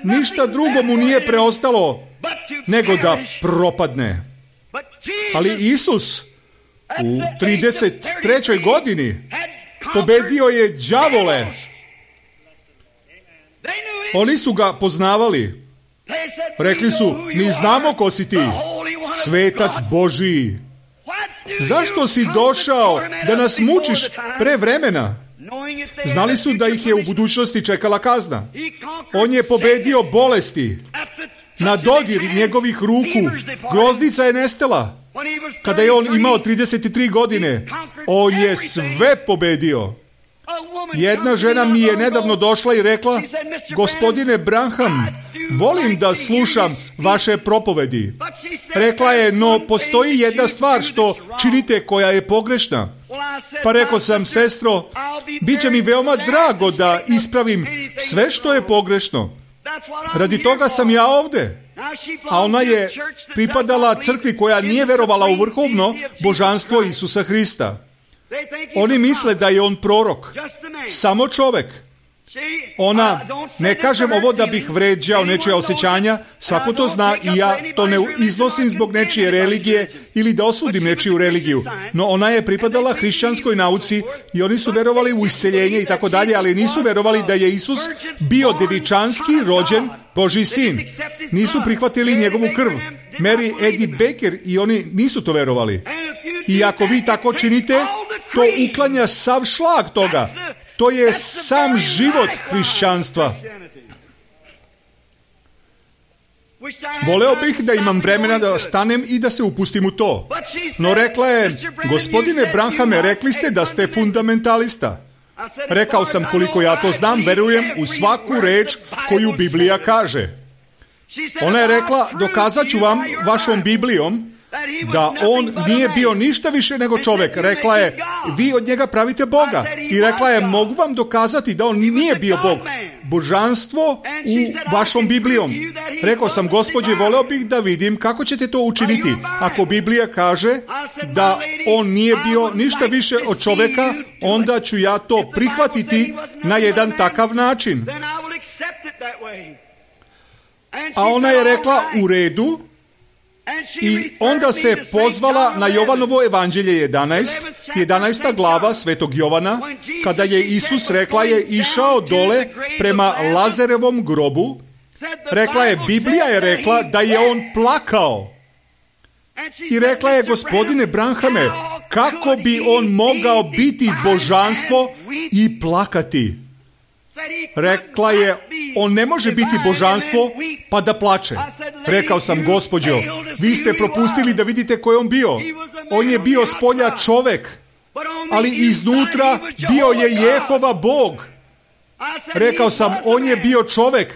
Speaker 1: Ništa drugo mu nije preostalo nego da propadne. Ali Isus u 33. godini pobedio je đavole. Oni su ga poznavali. Rekli su, mi znamo ko si ti, svetac Božiji. Zašto si došao da nas mučiš pre vremena? Znali su da ih je u budućnosti čekala kazna. On je pobedio bolesti. Na dodir njegovih ruku groznica je nestala. Kada je on imao 33 godine, on je sve pobedio. Jedna žena mi je nedavno došla i rekla, gospodine Branham, volim da slušam vaše propovedi. Rekla je, no postoji jedna stvar što činite koja je pogrešna. Pa rekao sam, sestro, bit će mi veoma drago da ispravim sve što je pogrešno. Radi toga sam ja ovdje. A ona je pripadala crkvi koja nije verovala u vrhovno božanstvo Isusa Hrista. Oni misle da je on prorok. Samo čovek. Ona, ne kažem ovo da bih vređao nečija osjećanja, svako to zna i ja to ne iznosim zbog nečije religije ili da osudim nečiju religiju. No ona je pripadala hrišćanskoj nauci i oni su verovali u isceljenje i tako dalje, ali nisu verovali da je Isus bio devičanski rođen Božji sin. Nisu prihvatili njegovu krv. Mary Eddie Baker i oni nisu to verovali. I ako vi tako činite, to uklanja sav šlag toga. To je sam život hrišćanstva. Voleo bih da imam vremena da stanem i da se upustim u to. No rekla je, gospodine Branhame, rekli ste da ste fundamentalista. Rekao sam, koliko ja to znam, verujem u svaku reč koju Biblija kaže. Ona je rekla, dokazat ću vam vašom Biblijom da on nije bio ništa više nego čovjek. Rekla je, vi od njega pravite Boga. I rekla je, mogu vam dokazati da on nije bio Bog. Božanstvo u vašom Biblijom. Rekao sam, gospođe, voleo bih da vidim kako ćete to učiniti. Ako Biblija kaže da on nije bio ništa više od čovjeka, onda ću ja to prihvatiti na jedan takav način. A ona je rekla, u redu. I onda se pozvala na Jovanovo evanđelje 11. glava Svetog Jovana, kada je Isus, rekla je, išao dole prema Lazarevom grobu. Rekla je, Biblija je rekla da je on plakao. I rekla je, gospodine Branhame, kako bi on mogao biti božanstvo i plakati? Rekla je, on ne može biti božanstvo pa da plače. Rekao sam, gospođo, vi ste propustili da vidite ko je on bio. On je bio spolja čovek, ali iznutra bio je Jehova Bog. Rekao sam, on je bio čovek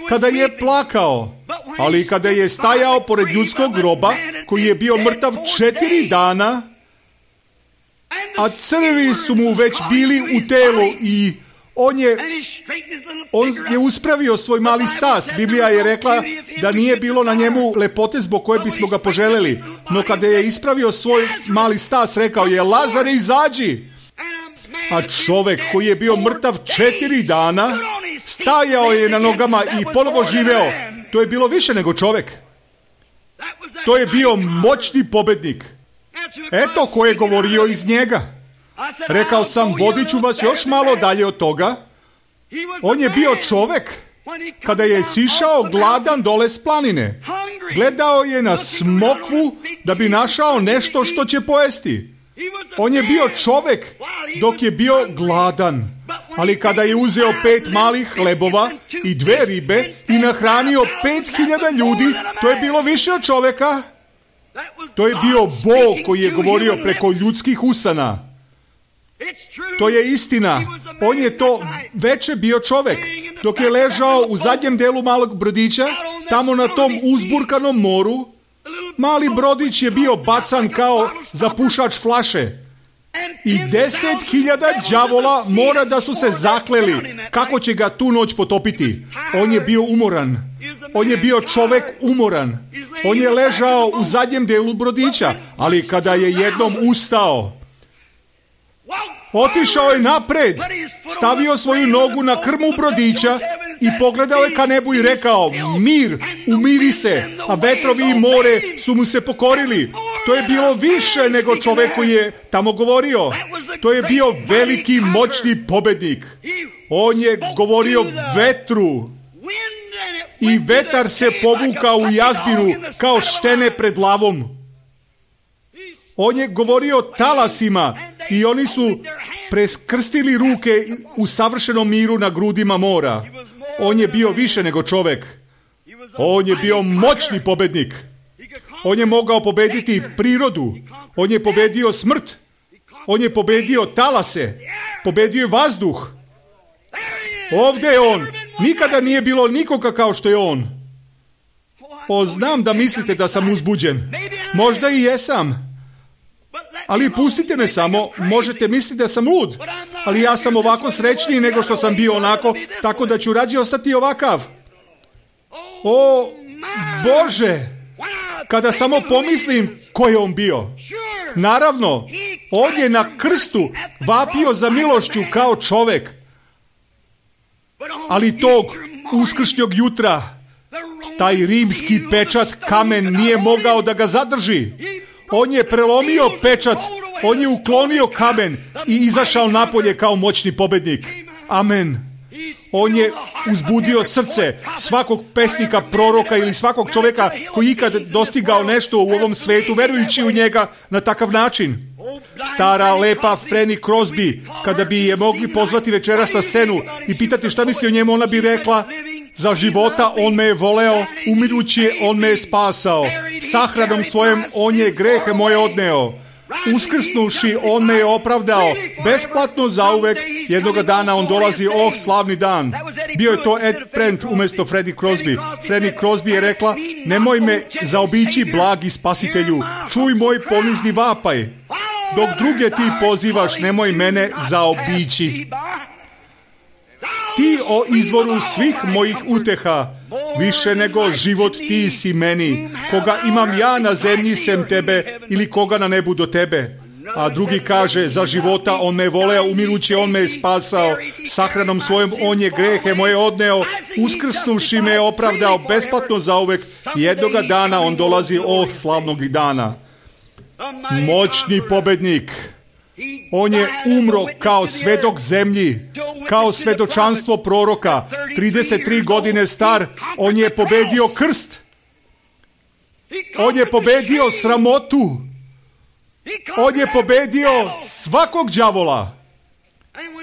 Speaker 1: kada je plakao, ali kada je stajao pored ljudskog groba koji je bio mrtav 4 dana, a crvi su mu već bili u telu i on je uspravio svoj mali stas. Biblija je rekla da nije bilo na njemu lepote zbog koje bismo ga poželjeli. No kada je ispravio svoj mali stas, rekao je, Lazare, izađi. A čovjek koji je bio mrtav 4 dana, stajao je na nogama i ponovo živeo. To je bilo više nego čovjek. To je bio moćni pobednik. Eto ko je govorio iz njega. Rekao sam, vodit ću vas još malo dalje od toga. On je bio čovjek kada je sišao gladan dole s planine. Gledao je na smokvu da bi našao nešto što će pojesti. On je bio čovjek dok je bio gladan. Ali kada je uzeo 5 malih hlebova i 2 ribe i nahranio 5.000 ljudi, to je bilo više od čovjeka. To je bio Bog koji je govorio preko ljudskih usana. To je istina. On je to veče bio čovjek. Dok je ležao u zadnjem delu malog brodića, tamo na tom uzburkanom moru, mali brodić je bio bacan kao zapušač flaše. I 10.000 đavola mora da su se zakleli kako će ga tu noć potopiti. On je bio umoran. On je bio čovjek umoran. On je ležao u zadnjem delu brodića, ali kada je jednom ustao, otišao je napred, stavio svoju nogu na krmu brodića i pogledao je ka nebu i rekao, mir, umiri se, a vetrovi i more su mu se pokorili. To je bilo više nego čovjek koji je tamo govorio. To je bio veliki, moćni pobednik. On je govorio vetru i vetar se povukao u jazbinu kao štene pred lavom. On je govorio talasima i oni su preskrstili ruke u savršenom miru na grudima mora. On je bio više nego čovjek. On je bio moćni pobednik. On je mogao pobediti prirodu. On je pobedio smrt. On je pobedio talase. Pobedio je vazduh. Ovdje je on. Nikada nije bilo nikoga kao što je on. Znam da mislite da sam uzbuđen. Možda i jesam. Ali pustite me samo, možete misliti da sam lud, ali ja sam ovako srećniji nego što sam bio onako, tako da ću rađe ostati ovakav. O, Bože, kada samo pomislim ko je on bio. Naravno, on je na krstu vapio za milošću kao čovjek. Ali tog uskršnjog jutra taj rimski pečat kamen nije mogao da ga zadrži. On je prelomio pečat, on je uklonio kamen i izašao napolje kao moćni pobednik. Amen. On je uzbudio srce svakog pesnika, proroka ili svakog čovjeka koji ikad dostigao nešto u ovom svetu, verujući u njega na takav način. Stara, lepa Fanny Crosby, kada bi je mogli pozvati večeras na scenu i pitati šta misli o njemu, ona bi rekla: za života on me je voleo, umirući on me je spasao, sahranom svojem on je grehe moje odneo, uskrsnuši on me je opravdao, besplatno zauvek, jednoga dana on dolazi, slavni dan. Bio je to Ed Brent umjesto Fanny Crosby. Fanny Crosby je rekla: nemoj me zaobići, blagi spasitelju, čuj moj ponizni vapaj, dok druge ti pozivaš, nemoj mene zaobići. Ti, o izvoru svih mojih uteha, više nego život ti si meni, koga imam ja na zemlji sem tebe ili koga na nebu do tebe. A drugi kaže: za života on me voleo, umirući on me je spasao, sahranom svojom on je grehe moje odneo, uskrsnuši me je opravdao, besplatno zauvek, jednoga dana on dolazi, slavnog dana. Moćni pobednik. On je umro kao svedok zemlji, kao svedočanstvo proroka, 33 godine star. On je pobedio krst. On je pobedio sramotu. On je pobedio svakog đavola.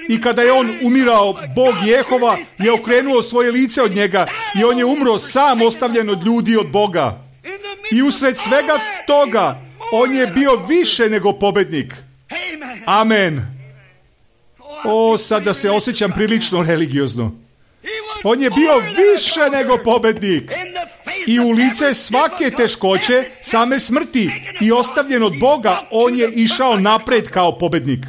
Speaker 1: I kada je on umirao, Bog Jehova je okrenuo svoje lice od njega i on je umro sam, ostavljen od ljudi, od Boga. I usred svega toga on je bio više nego pobednik. Amen. Sada se osjećam prilično religiozno. On je bio više nego pobednik. I u lice svake teškoće, same smrti i ostavljen od Boga, on je išao napred kao pobednik.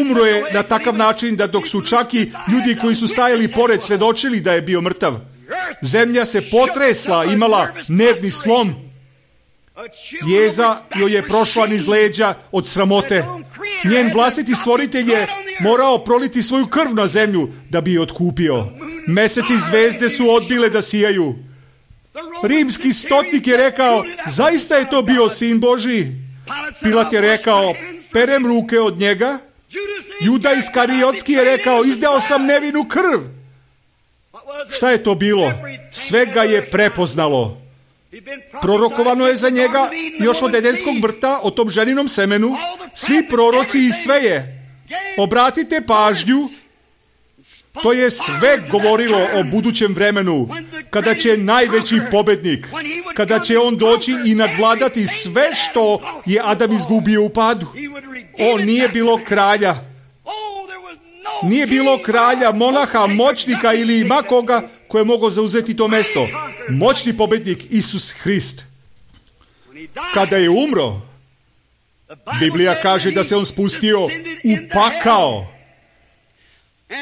Speaker 1: Umro je na takav način da dok su čak i ljudi koji su stajali pored svedočili da je bio mrtav. Zemlja se potresla, imala nervni slom. Jeza joj je prošla niz leđa od sramote. Njen vlastiti stvoritelj je morao proliti svoju krv na zemlju da bi je otkupio. Mesec i zvezde su odbile da sijaju. Rimski stotnik je rekao: zaista je to bio sin Božji. Pilat je rekao: perem ruke od njega. Juda Iskariotski je rekao: izdao sam nevinu krv. Šta je to bilo? Sve ga je prepoznalo. Prorokovano je za njega još od Edenskog vrta, o tom ženinom semenu. Svi proroci i sve je. Obratite pažnju, to je sve govorilo o budućem vremenu, kada će najveći pobednik, kada će on doći i nadvladati sve što je Adam izgubio u padu. Nije bilo kralja. Nije bilo kralja, monaha, moćnika ili makoga koji je mogao zauzeti to mesto. Moćni pobednik Isus Hrist. Kada je umro, Biblija kaže da se on spustio u pakao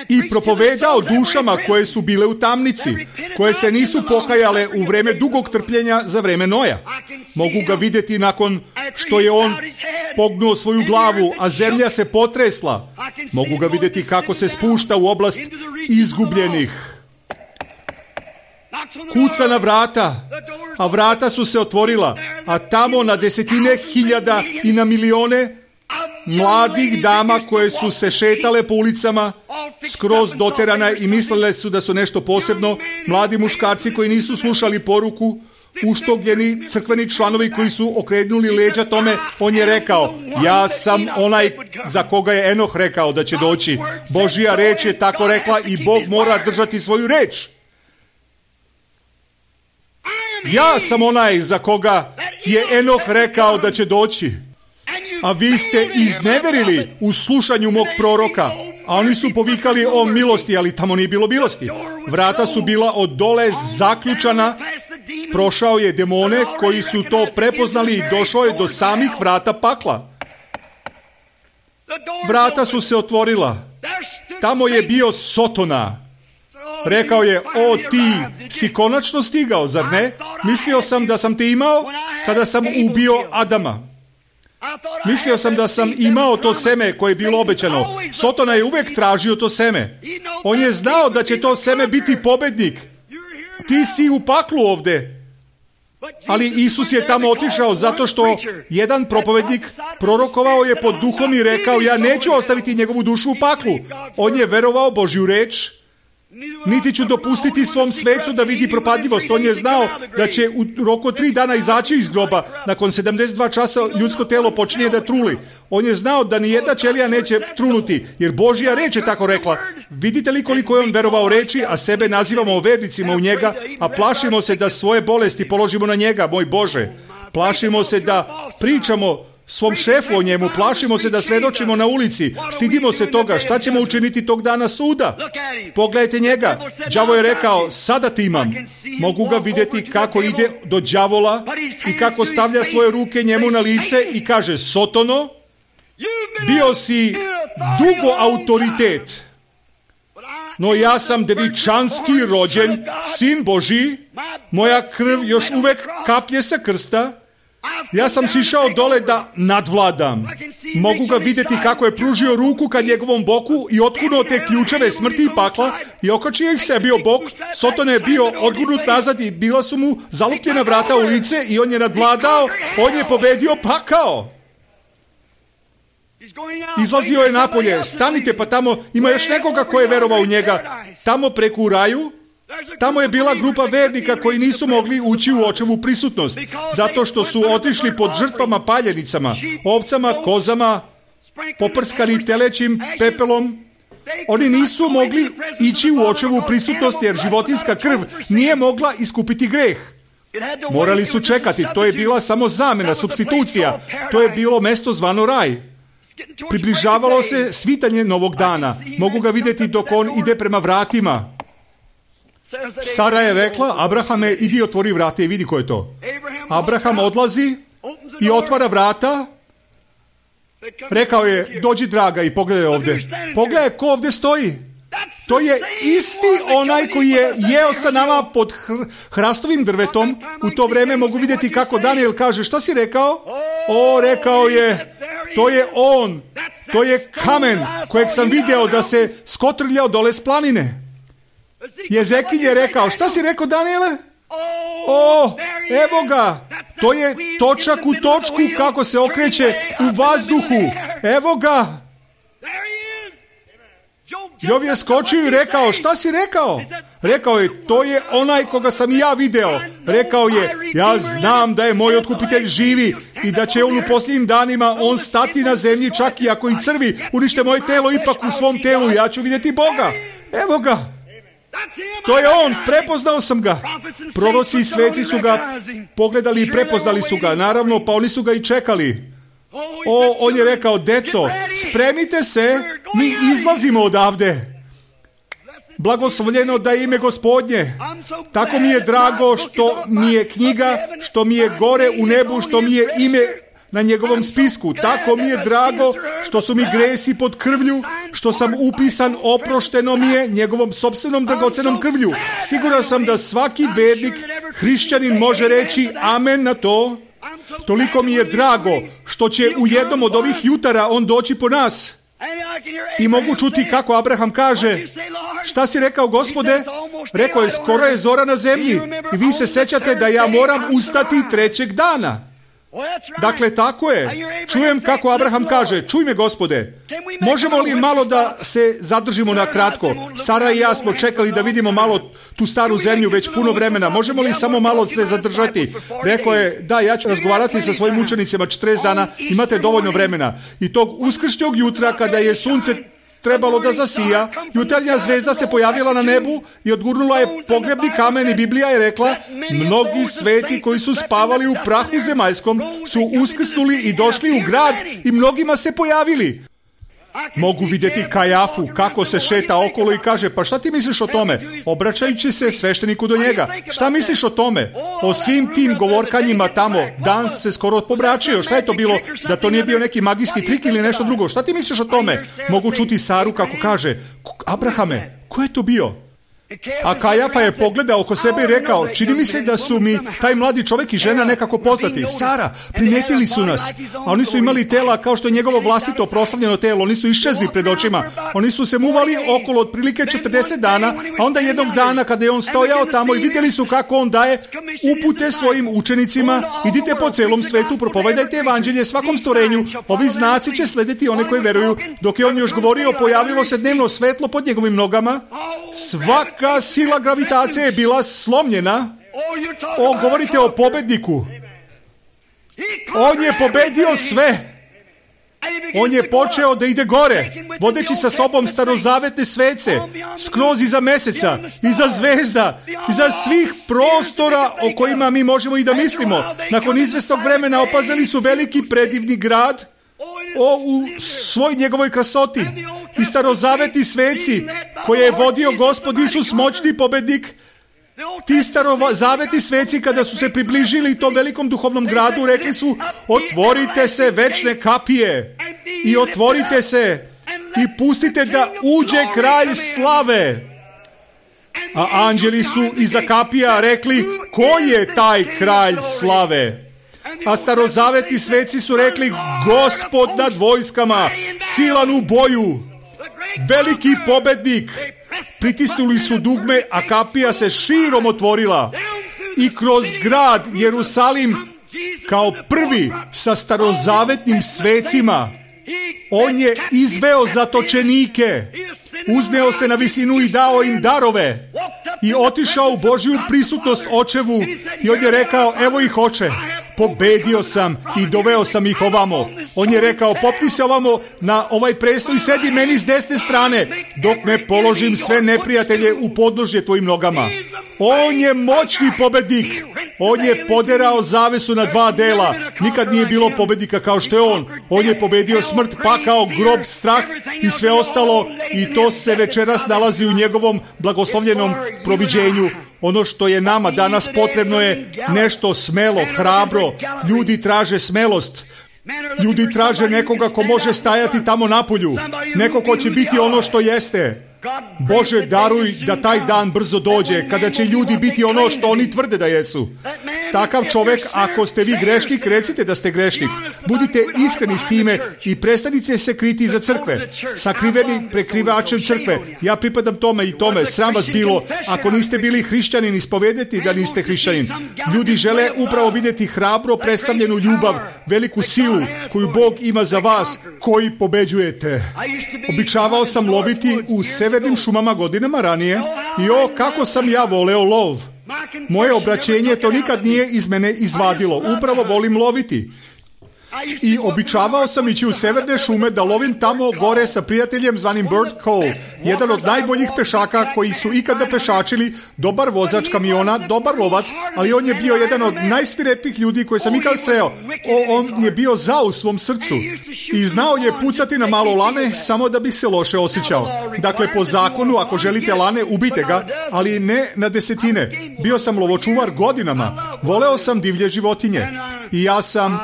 Speaker 1: i propovedao dušama koje su bile u tamnici, koje se nisu pokajale u vreme dugog trpljenja za vreme Noja. Mogu ga vidjeti nakon što je on pognuo svoju glavu, a zemlja se potresla. Mogu ga vidjeti kako se spušta u oblast izgubljenih. Kuca na vrata, a vrata su se otvorila, a tamo na desetine hiljada i na milione mladih dama koje su se šetale po ulicama, skroz doterane i mislile su da su nešto posebno, mladi muškarci koji nisu slušali poruku, uštogljeni crkveni članovi koji su okrenuli leđa tome. On je rekao: ja sam onaj za koga je Enoh rekao da će doći. Božja reč je tako rekla i Bog mora držati svoju reč. Ja sam onaj za koga je Enoh rekao da će doći. A vi ste izneverili u slušanju mog proroka. A oni su povikali o milosti, ali tamo nije bilo milosti. Vrata su bila od dole zaključana. Prošao je demone koji su to prepoznali i došao je do samih vrata pakla. Vrata su se otvorila. Tamo je bio Sotona. Rekao je: o, ti si konačno stigao, zar ne? Mislio sam da sam te imao kada sam ubio Adama. Mislio sam da sam imao to seme koje je bilo obećano. Sotona je uvek tražio to seme. On je znao da će to seme biti pobednik. Ti si u paklu ovde. Ali Isus je tamo otišao zato što jedan propovednik prorokovao je pod duhom i rekao, ja neću ostaviti njegovu dušu u paklu. On je verovao Božju reč, niti ću dopustiti svom svecu da vidi propadljivost. On je znao da će u roku 3 dana izaći iz groba. Nakon 72 časa ljudsko telo počinje da truli. On je znao da ni jedna ćelija neće trunuti, jer Božja reč je tako rekla. Vidite li koliko je on verovao reči, a sebe nazivamo vernicima u njega, a plašimo se da svoje bolesti položimo na njega, moj Bože. Plašimo se da pričamo svom šefu o njemu, plašimo se da svedočimo na ulici, stidimo se toga, šta ćemo učiniti tog dana suda? Pogledajte njega, đavo je rekao, sada ti imam. Mogu ga vidjeti kako ide do đavola i kako stavlja svoje ruke njemu na lice i kaže, Sotono, bio si dugo autoritet, no ja sam devičanski rođen, sin Božji, moja krv još uvek kaplje sa krsta, ja sam sišao dole da nadvladam. Mogu ga vidjeti kako je pružio ruku ka njegovom boku i otkunuo te ključeve smrti i pakla i okačio ih sebi o bok. Soton je bio odgurnut nazad i bila su mu zalupljena vrata u lice i on je nadvladao, on je pobedio pakao. Izlazio je napolje, stanite pa tamo ima još nekoga ko je verovao u njega. Tamo preko u raju, tamo je bila grupa vernika koji nisu mogli ući u očevu prisutnost, zato što su otišli pod žrtvama paljenicama, ovcama, kozama, poprskani telećim pepelom. Oni nisu mogli ići u očevu prisutnost jer životinjska krv nije mogla iskupiti greh. Morali su čekati, to je bila samo zamena, supstitucija, to je bilo mesto zvano raj. Približavalo se svitanje novog dana, mogu ga vidjeti dok on ide prema vratima. Sara je rekla, Abrahame, idi otvori vrata i vidi ko je to. Abraham odlazi i otvara vrata. Rekao je, dođi draga i pogledaj ovdje. Pogledaj ko ovdje stoji. To je isti onaj koji je jeo sa nama pod hrastovim drvetom. U to vrijeme mogu vidjeti kako Daniel kaže, što si rekao? O, rekao je, to je on. To je kamen kojeg sam video da se skotrljao dole s planine. Jezekin je rekao, šta si rekao, Daniele? O, evo ga, to je točak u točku kako se okreće u vazduhu. Evo ga. Jov je skočio i rekao, šta si rekao? Rekao je, to je onaj koga sam i ja video. Rekao je, ja znam da je moj otkupitelj živi i da će on u posljednjim danima on stati na zemlji čak i ako i crvi unište moje telo, ipak u svom telu ja ću vidjeti Boga. Evo ga. To je on, prepoznao sam ga. Proroci i sveci su ga pogledali i prepoznali su ga. Naravno, pa oni su ga i čekali. O, on je rekao, deco, spremite se, mi izlazimo odavde. Blagoslovljeno da je ime Gospodnje. Tako mi je drago što mi je knjiga, što mi je gore u nebu, što mi je ime na njegovom spisku. Tako mi je drago što su mi gresi pod krvlju, što sam upisan, oprošteno mi je njegovom sopstvenom dragocenom krvlju. Siguran sam da svaki vernik, hrišćanin može reći amen na to. Toliko mi je drago što će u jednom od ovih jutara on doći po nas. I mogu čuti kako Abraham kaže, šta si rekao, Gospode? Rekao je, skoro je zora na zemlji i vi se sećate da ja moram ustati 3. dana. Dakle, tako je. Čujem kako Abraham kaže, čuj me, Gospode, možemo li malo da se zadržimo na kratko? Sara i ja smo čekali da vidimo malo tu staru zemlju već puno vremena. Možemo li samo malo se zadržati? Rekao je, da, ja ću razgovarati sa svojim učenicima 40 dana, imate dovoljno vremena. I tog uskršnjeg jutra, kada je sunce trebalo da zasija, jutarnja zvezda se pojavila na nebu i odgurnula je pogrebni kamen i Biblija je rekla, mnogi sveti koji su spavali u prahu zemaljskom su uskrsnuli i došli u grad i mnogima se pojavili. Mogu vidjeti Kajafu kako se šeta okolo i kaže, pa šta ti misliš o tome? Obraćajući se svešteniku do njega. Šta misliš o tome? O svim tim govorkanjima tamo. Dan se skoro pobračio. Šta je to bilo? Da to nije bio neki magijski trik ili nešto drugo? Šta ti misliš o tome? Mogu čuti Saru kako kaže, Abrahame, ko je to bio? A Kajafa je pogledao oko sebe i rekao, čini mi se da su mi taj mladi čovjek i žena nekako poznati. Sara, primijetili su nas. A oni su imali tela kao što je njegovo vlastito proslavljeno telo. Oni su iščezli pred očima. Oni su se muvali okolo otprilike 40 dana, a onda jednog dana kada je on stojao tamo i vidjeli su kako on daje upute svojim učenicima, idite po celom svetu, propovedajte evanđelje svakom stvorenju, ovi znaci će slediti one koji veruju. Dok je on još govorio, pojavilo se dnevno svetlo pod njegovim nogama. Svaka sila gravitacije je bila slomljena. Govorite o pobedniku. On je pobedio sve. On je počeo da ide gore, vodeći sa sobom starozavetne svece, skroz iza meseca, iza zvezda, iza svih prostora o kojima mi možemo i da mislimo. Nakon izvesnog vremena opazili su veliki predivni grad u svoj njegovoj krasoti. I starozavetni sveci koje je vodio Gospod Isus, moćni pobednik. Ti starozavetni sveci kada su se približili tom velikom duhovnom gradu, rekli su, otvorite se večne kapije i otvorite se i pustite da uđe kralj slave. A anđeli su iza kapija rekli, ko je taj kralj slave? A starozavetni sveci su rekli, Gospod nad vojskama, silan u boju, veliki pobednik. Pritisnuli su dugme, a kapija se širom otvorila i kroz grad Jerusalim kao prvi sa starozavetnim svecima on je izveo zatočenike, uzneo se na visinu i dao im darove i otišao u Božju prisutnost očevu i on je rekao, evo ih oče, pobedio sam i doveo sam ih ovamo. On je rekao, popni se ovamo na ovaj prestol i sedi meni s desne strane dok ne položim sve neprijatelje u podnožje tvojim nogama. On je moćni pobednik. On je poderao zavesu na dva dela. Nikad nije bilo pobednika kao što je on. On je pobedio smrt, pakao, grob, strah i sve ostalo i to se večeras nalazi u njegovom blagoslovljenom proviđenju. Ono što je nama danas potrebno je nešto smelo, hrabro. Ljudi traže smelost. Ljudi traže nekoga ko može stajati tamo napolju. Neko ko će biti ono što jeste. Bože, daruj da taj dan brzo dođe, kada će ljudi biti ono što oni tvrde da jesu. Takav čovjek, ako ste vi grešnik, recite da ste grešnik. Budite iskreni s time i prestanite se kriti iza crkve. Sakriveni prekrivačem crkve. Ja pripadam tome i tome. Sram vas bilo. Ako niste bili hrišćanin, ispovedeti da niste hrišćanin. Ljudi žele upravo vidjeti hrabro predstavljenu ljubav, veliku silu koju Bog ima za vas, koji pobeđujete. Običavao sam loviti u severnim šumama godinama ranije i kako sam ja voleo lov. Moje obraćenje to nikad nije iz mene izvadilo. Upravo volim loviti. I običavao sam ići u severne šume da lovim tamo gore sa prijateljem zvanim Bert Cole, jedan od najboljih pešaka koji su ikada pešačili, dobar vozač kamiona, dobar lovac, ali on je bio jedan od najsvirepih ljudi koje sam ikad sreo. On je bio zao u svom srcu i znao je pucati na malo lane samo da bih se loše osjećao. Dakle, po zakonu, ako želite lane, ubite ga, ali ne na desetine. Bio sam lovočuvar godinama, voleo sam divlje životinje i ja sam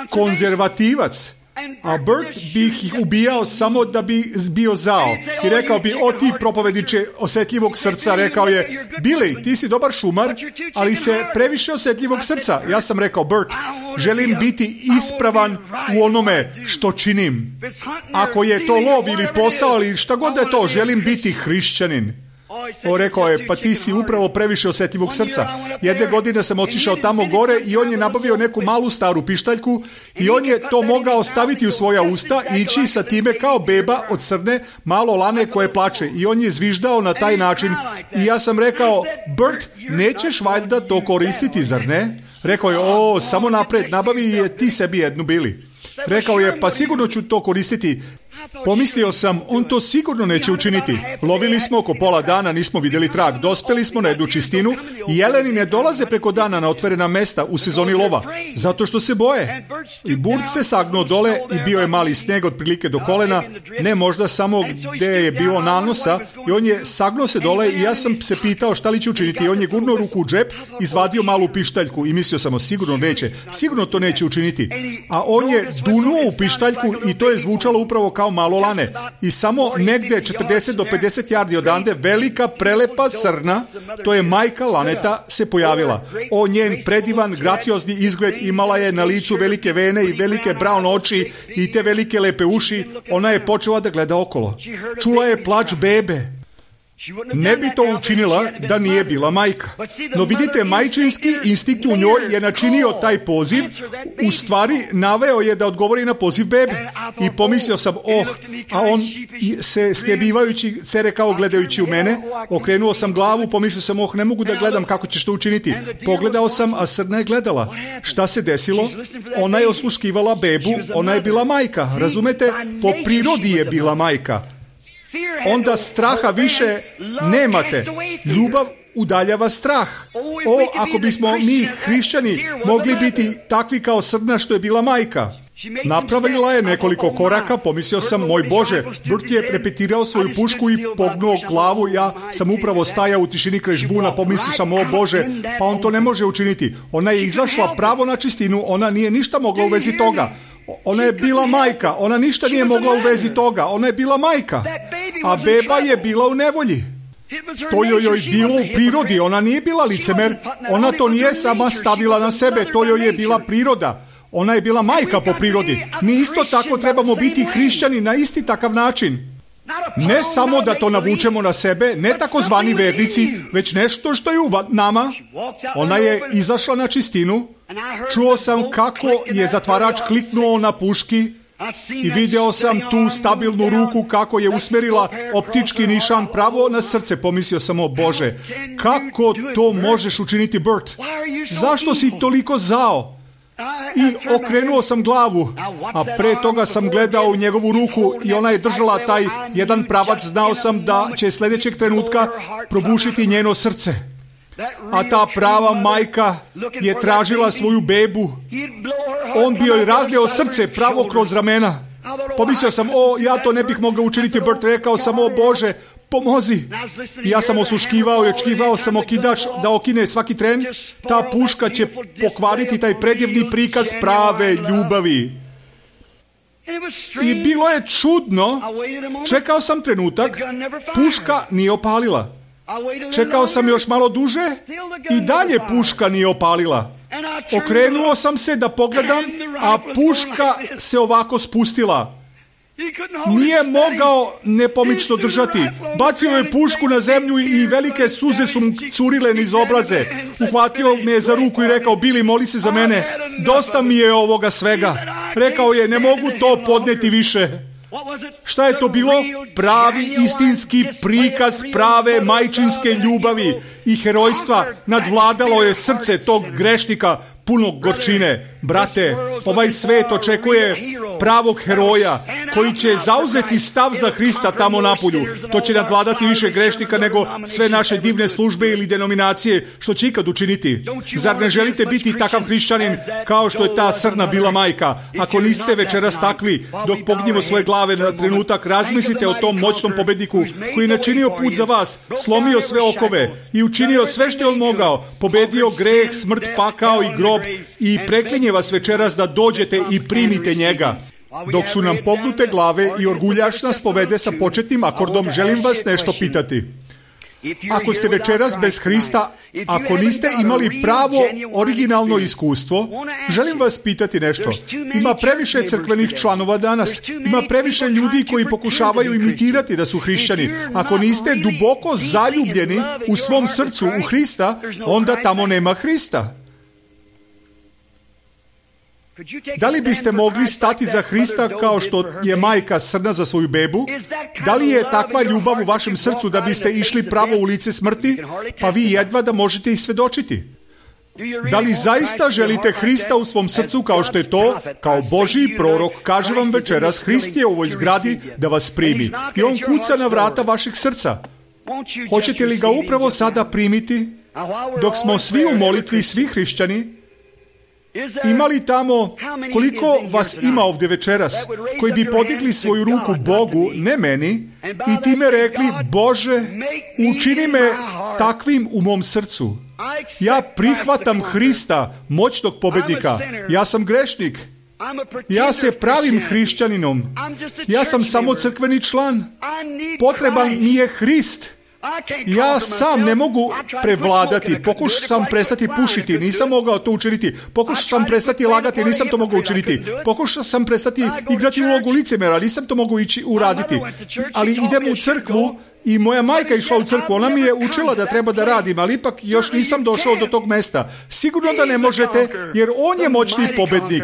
Speaker 1: konzervativac, a Bert bih ih ubijao samo da bi bio zao. I rekao bi, o ti propovedniče osjetljivog srca, rekao je, Billy, ti si dobar šumar, ali se previše osjetljivog srca. Ja sam rekao, Bert, želim biti ispravan u onome što činim. Ako je to lov ili posao ili šta god da je to, želim biti hrišćanin. Rekao je, pa ti si upravo previše osjetljivog srca. Jedne godine sam otišao tamo gore i on je nabavio neku malu staru pištaljku i on je to mogao staviti u svoja usta i ići sa time kao beba od srne malo lane koje plače. I on je zviždao na taj način. I ja sam rekao, Bert, nećeš valjda to koristiti, zar ne? Rekao je, samo napred, nabavi je ti sebi jednu, Bili. Rekao je, pa sigurno ću to koristiti. Pomislio sam, on to sigurno neće učiniti. Lovili smo oko pola dana, nismo vidjeli trag. Dospeli smo na jednu čistinu i jeleni ne dolaze preko dana na otvorena mesta u sezoni lova, zato što se boje. I Burt se sagnuo dole i bio je mali sneg otprilike do kolena, ne možda samo gdje je bilo nanosa, i on je sagnuo se dole i ja sam se pitao šta li će učiniti. I on je gurnuo ruku u džep, izvadio malu pištaljku i mislio sam, sigurno neće, sigurno to neće učiniti. A on je dunuo u pištaljku i to je zvučalo upravo kao kao malo lane. I samo negde 40 do 50 yardi odande velika prelepa srna, to je majka laneta, se pojavila. O, njen predivan, graciozni izgled, imala je na licu velike vene i velike brown oči i te velike lepe uši. Ona je počela da gleda okolo. Čula je plač bebe. Ne bi to učinila da nije bila majka. No vidite, majčinski instinkt u njoj je načinio taj poziv, u stvari naveo je da odgovori na poziv bebe. I pomislio sam, a on se stebivajući se rekao gledajući u mene, okrenuo sam glavu, pomislio sam, ne mogu da gledam kako ćeš to učiniti. Pogledao sam, a srna je gledala. Šta se desilo? Ona je osluškivala bebu, ona je bila majka. Razumete? Po prirodi je bila majka. Onda straha više nemate. Ljubav udaljava strah. Ako bismo mi hrišćani mogli biti takvi kao srna što je bila majka. Napravila je nekoliko koraka, pomislio sam, moj Bože, Burt je repetirao svoju pušku i pognuo glavu, ja sam upravo stajao u tišini kraj žbuna, pomislio sam, o Bože, pa on to ne može učiniti. Ona je izašla pravo na čistinu, ona nije ništa mogla u vezi toga. Ona je bila majka, ona ništa nije mogla u vezi toga, ona je bila majka, a beba je bila u nevolji. To joj bilo u prirodi, ona nije bila licemer, ona to nije sama stavila na sebe, to joj je bila priroda. Ona je bila majka po prirodi. Mi isto tako trebamo biti hrišćani na isti takav način. Ne samo da to navučemo na sebe, ne takozvani vernici, već nešto što je u nama. Ona je izašla na čistinu. Čuo sam kako je zatvarač kliknuo na puški i video sam tu stabilnu ruku kako je usmerila optički nišan pravo na srce. Pomislio sam, o Bože, kako to možeš učiniti, Burt? Zašto si toliko zao? I okrenuo sam glavu, a pre toga sam gledao u njegovu ruku i ona je držala taj jedan pravac. Znao sam da će sljedećeg trenutka probušiti njeno srce. A ta prava majka je tražila svoju bebu. On bi joj razdeo srce pravo kroz ramena. Pomislio sam, ja to ne bih mogao učiniti, Burt. Rekao sam, o Bože, pomozi. I ja sam osluškivao i očekivao sam okidač da okine svaki tren. Ta puška će pokvariti taj predivni prikaz prave ljubavi. I bilo je čudno. Čekao sam trenutak, puška nije opalila. Čekao sam još malo duže i dalje puška nije opalila. Okrenuo sam se da pogledam, a puška se ovako spustila. Nije mogao nepomično držati. Bacio je pušku na zemlju i velike suze su mu curile niz obraze. Uhvatio me je za ruku i rekao, Billy, moli se za mene. Dosta mi je ovoga svega. Rekao je, ne mogu to podnijeti više. Šta je to bilo? Pravi istinski prikaz prave majčinske ljubavi i herojstva. Nadvladalo je srce tog grešnika puno gorčine. Brate, ovaj svet očekuje pravog heroja koji će zauzeti stav za Hrista tamo napolju. To će nadvladati više grešnika nego sve naše divne službe ili denominacije što će ikad učiniti. Zar ne želite biti takav hrišćanin kao što je ta srna bila majka? Ako niste večeras takvi, dok pognimo svoje glave na trenutak, razmislite o tom moćnom pobedniku koji je načinio put za vas, slomio sve okove i učinio sve što je on mogao, pobedio greh, smrt, pakao i grob i preklinje vas večeras da dođete i primite njega. Dok su nam pognute glave i orguljaš nas povede sa početnim akordom, želim vas nešto pitati. Ako ste večeras bez Hrista, ako niste imali pravo originalno iskustvo, želim vas pitati nešto. Ima previše crkvenih članova danas. Ima previše ljudi koji pokušavaju imitirati da su hrišćani. Ako niste duboko zaljubljeni u svom srcu u Hrista, onda tamo nema Hrista. Da li biste mogli stati za Hrista kao što je majka srna za svoju bebu? Da li je takva ljubav u vašem srcu da biste išli pravo u lice smrti, pa vi jedva da možete ih svedočiti? Da li zaista želite Hrista u svom srcu kao što je to, kao Božji prorok, kaže vam večeras, Hrist je u ovoj zgradi da vas primi i on kuca na vrata vašeg srca. Hoćete li ga upravo sada primiti? Dok smo svi u molitvi, svi hrišćani, ima li tamo, koliko vas ima ovdje večeras, koji bi podigli svoju ruku Bogu, ne meni, i time rekli, Bože, učini me takvim u mom srcu. Ja prihvatam Hrista, moćnog pobednika. Ja sam grešnik. Ja se pravim hrišćaninom. Ja sam samo crkveni član. Potreban mi je Hrist. Ja sam ne mogu prevladati. Pokušao sam prestati pušiti, nisam mogao to učiniti. Pokušao sam prestati lagati, nisam to mogao učiniti. Pokušao sam prestati igrati ulogu licemera, nisam to mogao uraditi. Ali idem u crkvu i moja majka išla u crkvu. Ona mi je učila da treba da radim, ali ipak još nisam došao do tog mesta. Sigurno da ne možete, jer on je moćni pobednik.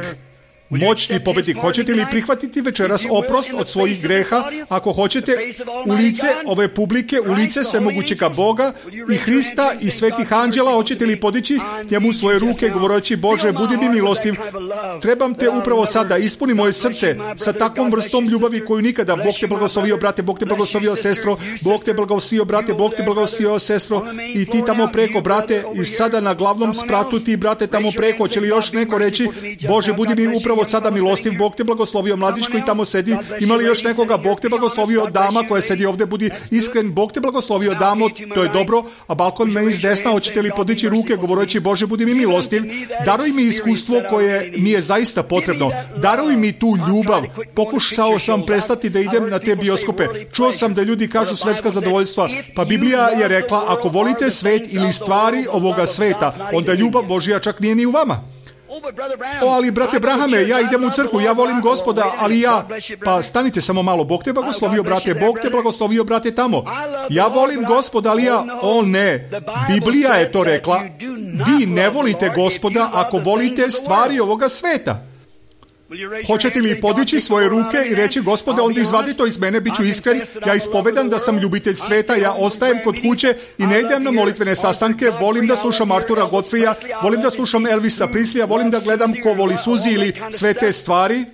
Speaker 1: Moćni pobednik. Hoćete li prihvatiti večeras oprost od svojih greha? Ako hoćete, u lice ove publike, u lice svemogućega Boga i Hrista i svetih anđela, hoćete li podići njemu svoje ruke govoreći: Bože, budi mi milostiv, trebam te upravo sada, ispuni moje srce sa takvom vrstom ljubavi koju nikada. Bog te blagoslovio, brate, Bog te blagoslovio, sestro, Bog te blagoslovio, brate, Bog te blagoslovio, sestro, i ti tamo preko, brate, i sada na glavnom spratu ti, brate, tamo preko. Hoće li još neko reći: Bože, budi mi upravo sada milostiv, Bog te blagoslovio, mladić koji tamo sedi, ima li još nekoga? Bog te blagoslovio, dama koja sedi ovdje, budi iskren, Bog te blagoslovio, damo, to je dobro, a balkon meni s desna, hoćete li podići ruke govoreći: Bože, budi mi milostiv, daruj mi iskustvo koje mi je zaista potrebno, daruj mi tu ljubav. Pokušao sam prestati da idem na te bioskope, čuo sam da ljudi kažu svetska zadovoljstva, pa Biblija je rekla: ako volite svet ili stvari ovoga sveta, onda ljubav Božja čak nije ni u vama. Ali brate Brahame, ja idem u crkvu, ja volim Gospoda, ali ja... Pa stanite samo malo, Bog te blagoslovio, brate, Bog te blagoslovio, brate, tamo. Ja volim Gospoda, ali ja... O ne, Biblija je to rekla. Vi ne volite Gospoda ako volite stvari ovoga sveta. Hoćete li podići svoje ruke i reći: Gospode, onda izvadi to iz mene, bit ću iskren, ja ispovedam da sam ljubitelj sveta, ja ostajem kod kuće i ne idem na molitvene sastanke, volim da slušam Artura Godfreya, volim da slušam Elvisa Presleya, volim da gledam Ko voli Suzi ili sve te stvari.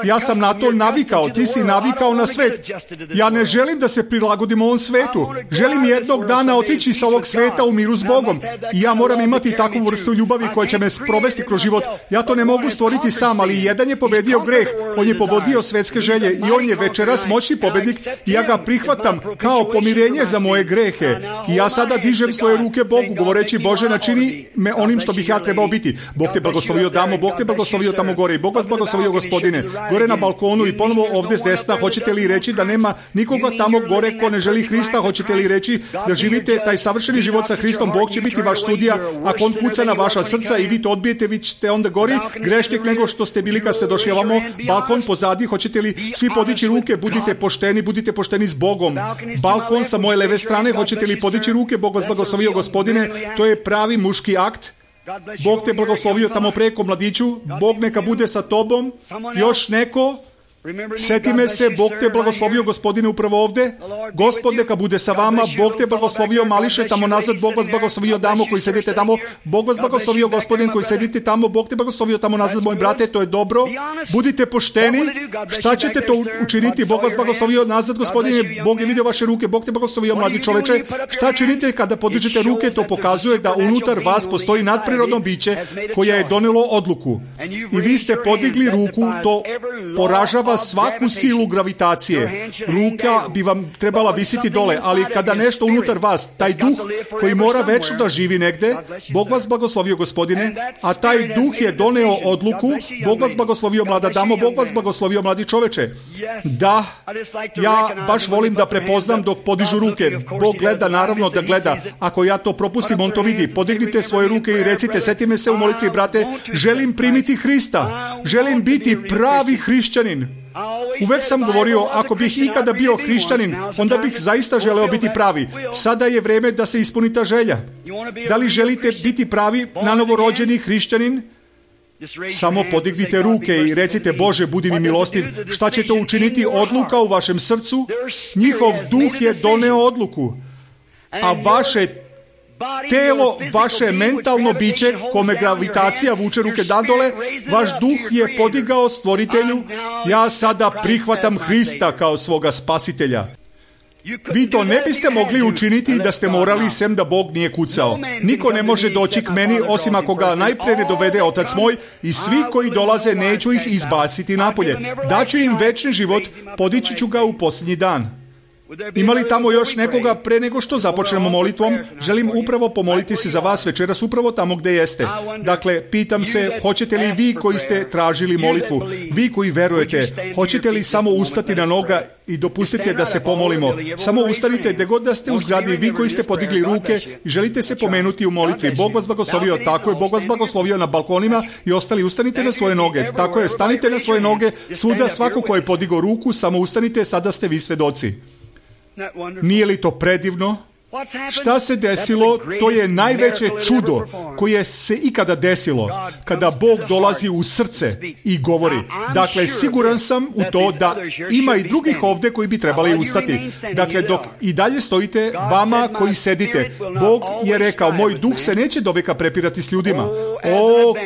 Speaker 1: Ja sam na to navikao, ti si navikao na svet. Ja ne želim da se prilagodim ovom svetu. Želim jednog dana otići sa ovog sveta u miru s Bogom. I ja moram imati takvu vrstu ljubavi koja će me sprovesti kroz život. Ja to ne mogu stvoriti sam, ali jedan je pobedio greh. On je pobedio svetske želje i on je večeras moćni pobednik i ja ga prihvatam kao pomirenje za moje grehe. I ja sada dižem svoje ruke Bogu govoreći: Bože, načini me onim što bih ja trebao biti. Bog te blagoslovio, damo, Bog te blagoslovio tamo gore i Bog vas blagoslovio, Gospodine. Gore na balkonu i ponovo ovdje s desna, hoćete li reći da nema nikoga tamo gore ko ne želi Hrista? Hoćete li reći da živite taj savršeni život sa Hristom? Bog će biti vaš sudija. Ako on kuca na vaša srca i vi to odbijete, vi ćete onda gori grešnjak nego što ste bili kad ste došli ovamo. Balkon pozadi, hoćete li svi podići ruke? Budite pošteni s Bogom. Balkon sa moje leve strane, hoćete li podići ruke? Bog vas blagoslovio, Gospodine, to je pravi muški akt. Bog te blagoslovio tamo preko, mladiću, Bog neka bude sa tobom. Još neko? Seti me se, Bog te blagoslovio, Gospodine, upravo ovdje. Gospod neka bude sa vama, Bog te blagoslovio, mališe tamo nazad, Bog vas blagoslovio, damo koji sedite tamo, Bog vas blagoslovio, Gospodin koji sedite tamo, Bog te blagoslovio tamo nazad, moj brate, to je dobro. Budite pošteni, šta ćete to učiniti? Bog vas blagoslovio nazad, Gospodine, Bog je vidio vaše ruke, Bog te blagoslovio, mladi čoveče. Šta činite kada podižete ruke? To pokazuje da unutar vas postoji nadprirodno biće koje je donelo odluku. I vi ste podigli ruku, to poražava svaku silu gravitacije. Ruka bi vam trebala visiti dole, ali kada nešto unutar vas, taj duh koji mora večno da živi negde, Bog vas blagoslovio, Gospodine, a taj duh je doneo odluku. Bog vas blagoslovio, mlada damo, Bog vas blagoslovio, mladi čoveče. Da, ja baš volim da prepoznam dok podižu ruke. Bog gleda, naravno da gleda. Ako ja to propustim, on to vidi. Podignite svoje ruke i recite: seti me se u molitvi, brate, želim primiti Hrista, želim biti pravi hrišćanin. Uvek sam govorio, ako bih ikada bio hrišćanin, onda bih zaista želeo biti pravi. Sada je vreme da se ispuni ta želja. Da li želite biti pravi, nanovo rođeni hrišćanin? Samo podignite ruke i recite: Bože, budi mi milostiv. Šta će to učiniti? Odluka u vašem srcu. Njihov duh je doneo odluku, a vaše telo, vaše mentalno biće, kome gravitacija vuče ruke nadole, vaš duh je podigao Stvoritelju: ja sada prihvatam Hrista kao svoga spasitelja. Vi to ne biste mogli učiniti da ste morali, sem da Bog nije kucao. Niko ne može doći k meni osim ako ga najpre ne dovede Otac moj, i svi koji dolaze neću ih izbaciti napolje. Daću im večni život, podići ću ga u posljednji dan. Ima li tamo još nekoga pre nego što započnemo molitvom? Želim upravo pomoliti se za vas večeras upravo tamo gde jeste. Dakle, pitam se, hoćete li vi koji ste tražili molitvu, vi koji verujete, hoćete li samo ustati na noga i dopustite da se pomolimo? Samo ustanite gde god da ste u zgradi, vi koji ste podigli ruke i želite se pomenuti u molitvi. Bog vas blagoslovio, tako je, Bog vas blagoslovio na balkonima i ostali ustanite na svoje noge. Tako je, stanite na svoje noge, svuda svako ko je podigao ruku, samo ustanite, sada ste vi svedoci. Nije li to predivno? Šta se desilo? To je najveće čudo koje se ikada desilo, kada Bog dolazi u srce i govori. Dakle, siguran sam u to da ima i drugih ovde koji bi trebali ustati. Dakle, dok i dalje stojite, vama koji sedite, Bog je rekao, moj duh se neće doveka prepirati s ljudima.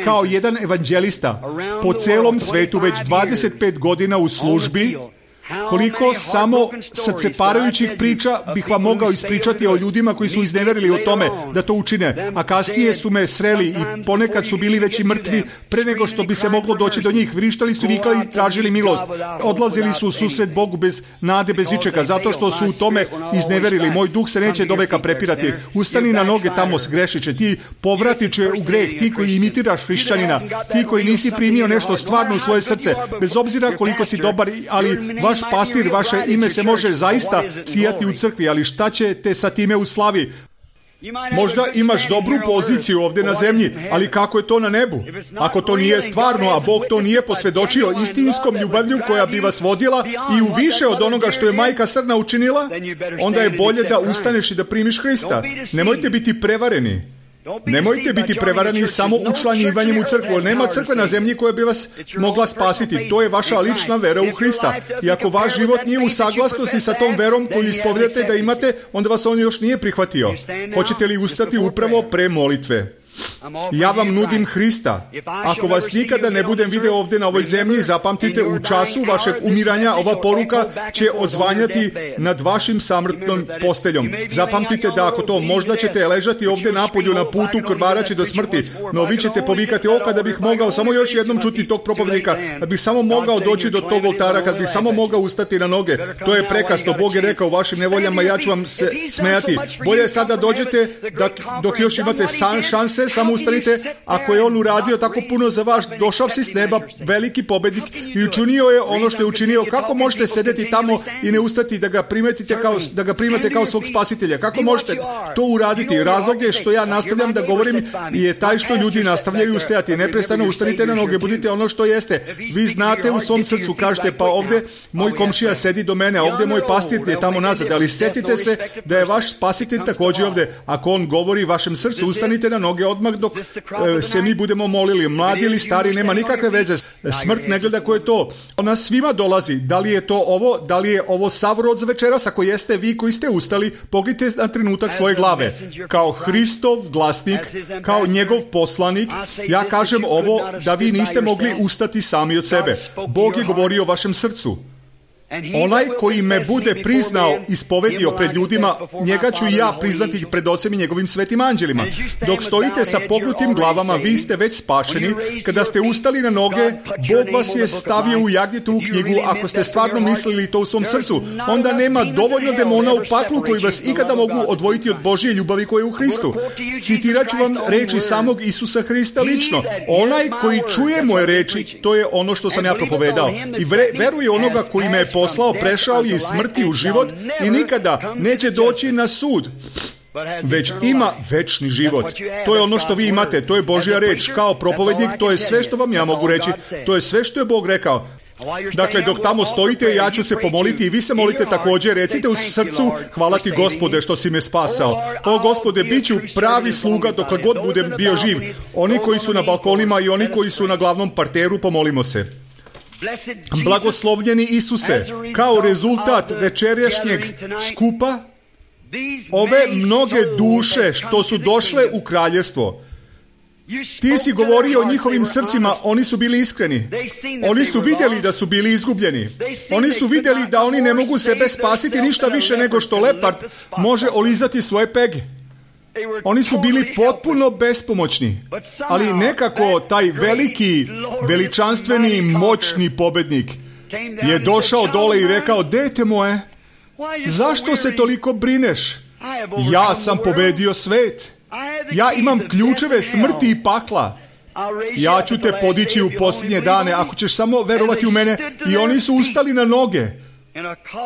Speaker 1: Kao jedan evanđelista, po celom svetu već 25 godina u službi, koliko samo srceparajućih priča bih vam mogao ispričati o ljudima koji su izneverili o tome da to učine, a kasnije su me sreli i ponekad su bili već i mrtvi pre nego što bi se moglo doći do njih. Vrištali su, vikali, tražili milost. Odlazili su u susret Bogu bez nade, bez ičega, zato što su u tome izneverili. Moj duh se neće doveka prepirati. Ustani na noge tamo, grešiće. Ti povratiće u greh, ti koji imitiraš hrišćanina, ti koji nisi primio nešto stvarno u svoje srce, bez obzira koliko si dobar, ali vaš pastir, vaše ime se može zaista sijati u crkvi, ali šta ćete sa time u slavi? Možda imaš dobru poziciju ovdje na zemlji, ali kako je to na nebu? Ako to nije stvarno, a Bog to nije posvjedočio istinskom ljubavlju koja bi vas vodila i u više od onoga što je majka srna učinila, onda je bolje da ustaneš i da primiš Hrista. Nemojte biti prevareni. Nemojte biti prevarani samo učlanjivanjem u crkvu. Nema crkve na zemlji koja bi vas mogla spasiti. To je vaša lična vera u Hrista. I ako vaš život nije u saglasnosti sa tom verom koju ispovedate da imate, onda vas on još nije prihvatio. Hoćete li ustati upravo pre molitve? Ja vam nudim Hrista. Ako vas nikada ne budem video ovdje na ovoj zemlji, zapamtite, u času vašeg umiranja ova poruka će odzvanjati nad vašim samrtnom posteljom. Zapamtite da ako to, možda ćete ležati ovdje napolju na putu krvaraći do smrti, no vi ćete povikati, kada bih mogao samo još jednom čuti tog propovednika, kad bih samo mogao doći do tog oltara, kad bih samo mogao ustati na noge. To je prekasno. Bog je rekao, vašim nevoljama ja ću vam se smejati. Bolje je sada dođete dok još imate šanse, samo ustanite. Ako je on uradio tako puno za vas, došao si s neba, veliki pobednik, i učinio je ono što je učinio. Kako možete sedeti tamo i ne ustati da ga primate kao svog spasitelja? Kako možete to uraditi? Razlog je što ja nastavljam da govorim je taj što ljudi nastavljaju ustajati. Neprestano ustanite na noge, budite ono što jeste. Vi znate u svom srcu, kažete, pa ovdje moj komšija sedi do mene, a ovdje moj pastir je tamo nazad, ali sjetite se da je vaš spasitelj također ovdje. Ako on govori vašem srcu, ustanite na noge odmah dok se mi budemo molili. Mladi ili stari, nema nikakve veze. Smrt ne gleda ko je to. Ona svima dolazi. Da li je to ovo? Da li je ovo sav rod za večeras? Ako jeste, vi koji ste ustali, pogledajte na trenutak svoje glave. Kao Hristov glasnik, kao njegov poslanik, ja kažem ovo da vi niste mogli ustati sami od sebe. Bog je govorio o vašem srcu. Onaj koji me bude priznao, ispovedio pred ljudima, njega ću i ja priznati pred Ocem i njegovim svetim anđelima. Dok stojite sa pognutim glavama, vi ste već spašeni. Kada ste ustali na noge, Bog vas je stavio u Jagnjetovu knjigu. Ako ste stvarno mislili to u svom srcu, onda nema dovoljno demona u paklu koji vas ikada mogu odvojiti od Božje ljubavi koja je u Hristu. Citirat ću vam reči samog Isusa Hrista lično. Onaj koji čuje moje reči, to je ono što sam ja propovedao. I veruje onoga koji me je poslao, prešao je iz smrti u život i nikada neće doći na sud, već ima večni život. To je ono što vi imate, to je Božja reč. Kao propovednik, to je sve što vam ja mogu reći. To je sve što je Bog rekao. Dakle, dok tamo stojite, ja ću se pomoliti i vi se molite također. Recite u srcu, hvala ti Gospode što si me spasao. O Gospode, bit ću pravi sluga dokle god budem bio živ. Oni koji su na balkonima i oni koji su na glavnom parteru, pomolimo se. Blagoslovljeni Isuse, kao rezultat večerašnjeg skupa, ove mnoge duše što su došle u kraljevstvo, ti si govorio o njihovim srcima, oni su bili iskreni. Oni su vidjeli da su bili izgubljeni. Oni su vidjeli da oni ne mogu sebe spasiti ništa više nego što lepard može olizati svoje pege. Oni su bili potpuno bespomoćni, ali nekako taj veliki, veličanstveni, moćni pobednik je došao dole i rekao, dete moje, Zašto se toliko brineš? Ja sam pobedio svet. Ja imam ključeve smrti i pakla. Ja ću te podići u posljednje dane ako ćeš samo verovati u mene. I oni su ustali na noge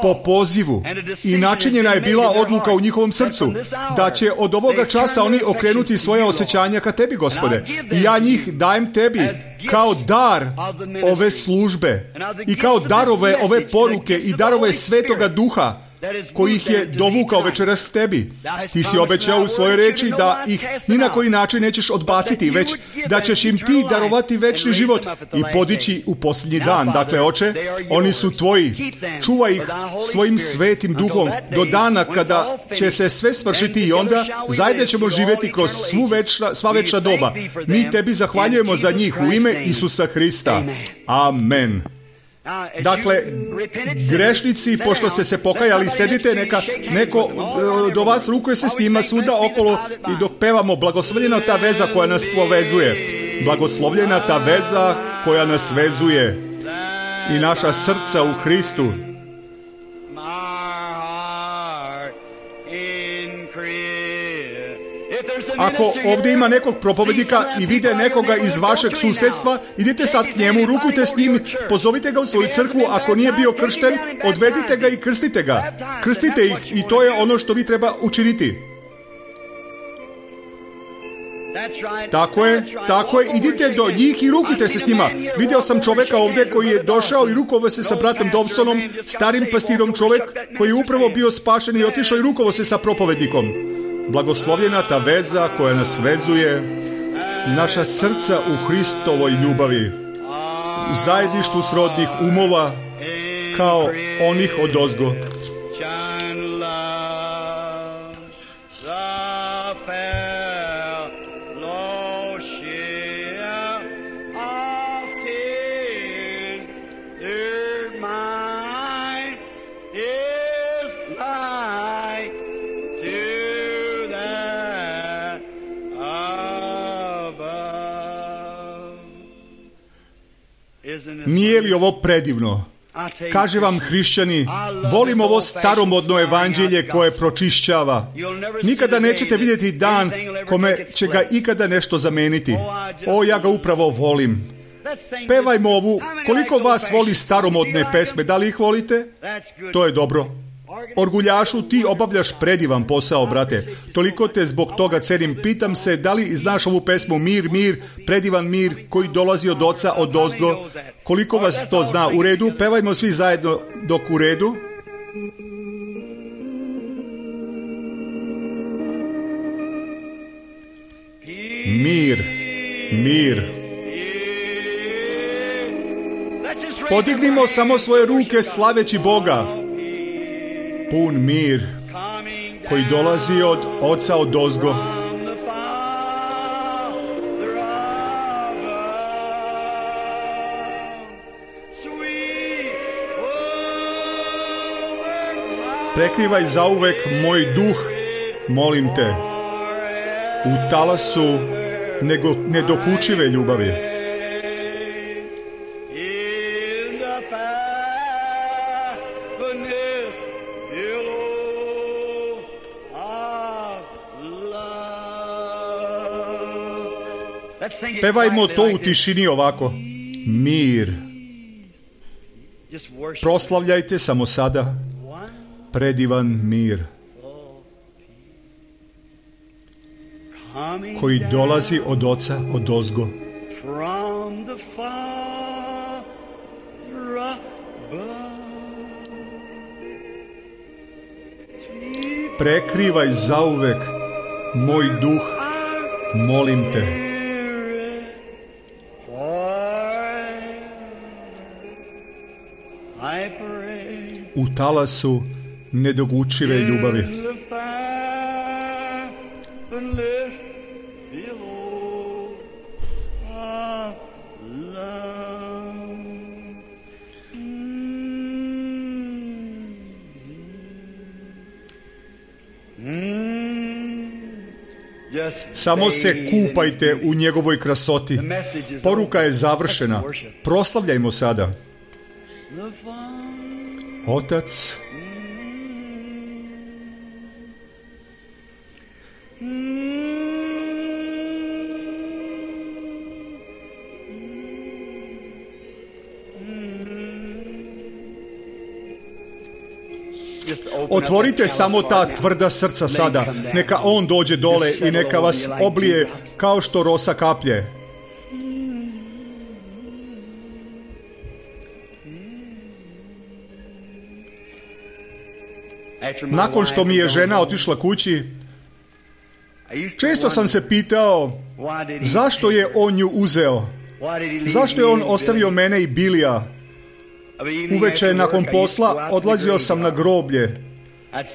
Speaker 1: po pozivu i načinjena je bila odluka u njihovom srcu da će od ovoga časa oni okrenuti svoje osjećanja ka tebi, Gospode. I ja njih dajem tebi kao dar ove službe i kao darove ove poruke i darove Svetoga Duha koji ih je dovukao večeras tebi. Ti si obećao u svojoj reči da ih ni na koji način nećeš odbaciti, već da ćeš im ti darovati večni život i podići u posljednji dan. Dakle, Oče, oni su tvoji. Čuvaj ih svojim svetim duhom do dana kada će se sve svršiti i onda zajedno ćemo živjeti kroz sva večna doba. Mi tebi zahvaljujemo za njih u ime Isusa Hrista. Amen. Dakle, grešnici, pošto ste se pokajali, sedite, neka neko do vas rukuje se s njima svuda okolo i dok pevamo blagoslovljena ta veza koja nas povezuje. Blagoslovljena ta veza koja nas vezuje i naša srca u Hristu. Ako ovdje ima nekog propovednika i vide nekoga iz vašeg susjedstva, idite sad k njemu, rukujte s njim, pozovite ga u svoju crkvu, ako nije bio kršten, odvedite ga i krstite ga. Krstite ih i to je ono što vi treba učiniti. Tako je, idite do njih i rukujte se s njima. Vidio sam čovjeka ovdje koji je došao i rukovao se sa bratom Dawsonom, starim pastirom, čovjek koji je upravo bio spašen i otišao i rukovao se sa propovednikom. Blagoslovljena ta veza koja nas vezuje, naša srca u Hristovoj ljubavi, u zajedništvu srodnih umova kao onih odozgo. Nije li ovo predivno? Kaže vam, hrišćani, volim ovo staromodno evanđelje koje pročišćava. Nikada nećete vidjeti dan kome će ga ikada nešto zameniti. O, ja ga upravo volim. Pevajmo ovu. Koliko vas voli staromodne pesme? Da li ih volite? To je dobro. Orguljašu, ti obavljaš predivan posao, brate. Toliko te zbog toga cenim. Pitam se, da li znaš ovu pesmu Mir, mir, predivan mir koji dolazi od Oca odozgo? Koliko vas to zna? U redu? Pevajmo svi zajedno dok u redu. Mir, mir. Podignimo samo svoje ruke slaveći Boga. Pun mir koji dolazi od Oca odozgo. Prekrivaj zauvek moj duh, molim te, u talasu nedokučive ljubavi. Pevajmo to u tišini ovako. Mir. Proslavljajte samo sada. Predivan mir koji dolazi od Oca odozgo. Prekrivaj zauvek moj duh, molim te. U talasu nedogučive ljubavi. Samo se kupajte u njegovoj krasoti. Poruka je završena. Proslavljajmo sada. Otac Otvorite samo ta tvrda srca sada, neka on dođe dole i neka vas oblije kao što rosa kaplje. Nakon što mi je žena otišla kući, često sam se pitao zašto je on nju uzeo, zašto je on ostavio mene i Bilija. Uveče nakon posla odlazio sam na groblje.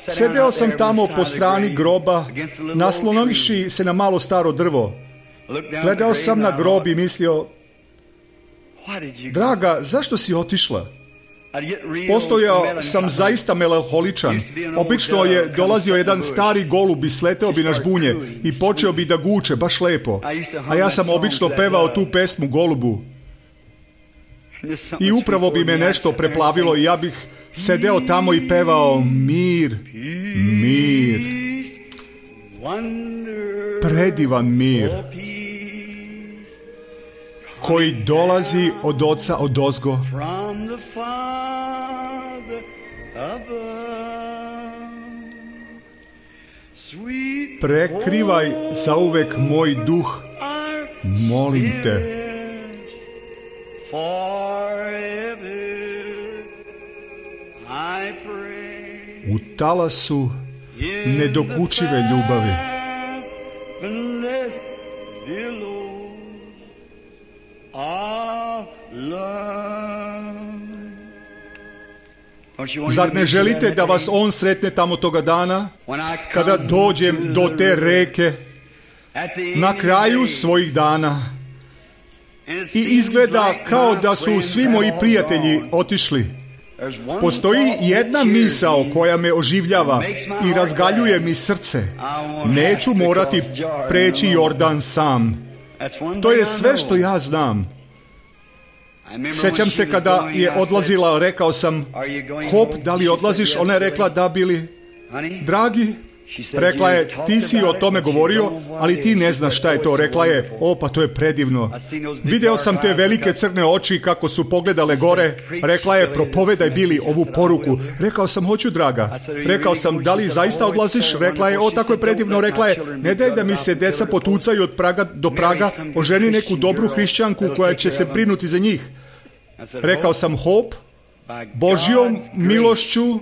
Speaker 1: Sedeo sam tamo po strani groba, naslonovivši se na malo staro drvo. Gledao sam na grob i mislio, draga, zašto si otišla? Postojao sam zaista melanholičan. Obično je dolazio jedan stari golub i sleteo bi na žbunje i počeo bi da guče baš lepo. A ja sam obično pevao tu pesmu golubu. I upravo bi me nešto preplavilo i ja bih sedeo tamo i pevao mir, mir, predivan mir, koji dolazi od Oca odozgo. Prekrivaj zauvek moj duh, molim te. U talasu nedokučive ljubavi. Zar ne želite da vas on sretne tamo toga dana, kada dođem do te reke, na kraju svojih dana, i izgleda kao da su svi moji prijatelji otišli? Postoji jedna misao koja me oživljava i razgaljuje mi srce. Neću morati preći Jordan sam. To je sve što ja znam. Sjećam se kada je odlazila, rekao sam, Hop, da li odlaziš? Ona je rekla, da, Bili. Dragi, rekla je, ti si o tome govorio, ali ti ne znaš šta je to. Rekla je, pa to je predivno. Video sam te velike crne oči kako su pogledale gore. Rekla je, propovedaj Bili ovu poruku. Rekao sam, hoću, draga. Rekao sam, da li zaista odlaziš? Rekla je, tako je predivno. Rekla je, ne daj da mi se deca potucaju od praga do praga, oženi neku dobru hrišćanku koja će se brinuti za njih. Rekao sam, Hop, Božjom milošću,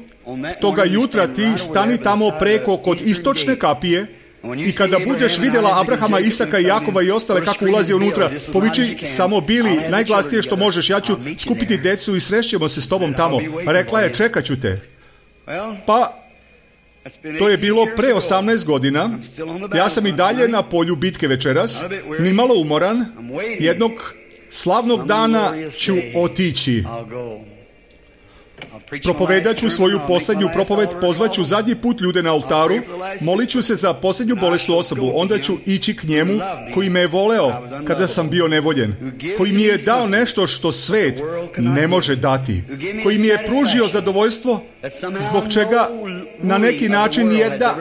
Speaker 1: toga jutra ti stani tamo preko kod istočne kapije i kada budeš vidjela Abrahama, Isaka i Jakova i ostale kako ulazi unutra, poviči samo Bili, najglasnije što možeš, ja ću skupiti decu i srešćemo se s tobom tamo. Rekla je, čekat ću te. Pa, to je bilo pre 18 godina, ja sam i dalje na polju bitke večeras, nimalo umoran, jednog slavnog dana ću otići. Propovedat ću svoju posljednju propoved, pozvaću zadnji put ljude na oltaru, molit ću se za posljednju bolesnu osobu, onda ću ići k njemu koji me je voleo kada sam bio nevoljen, koji mi je dao nešto što svet ne može dati, koji mi je pružio zadovoljstvo zbog čega na neki način nijedna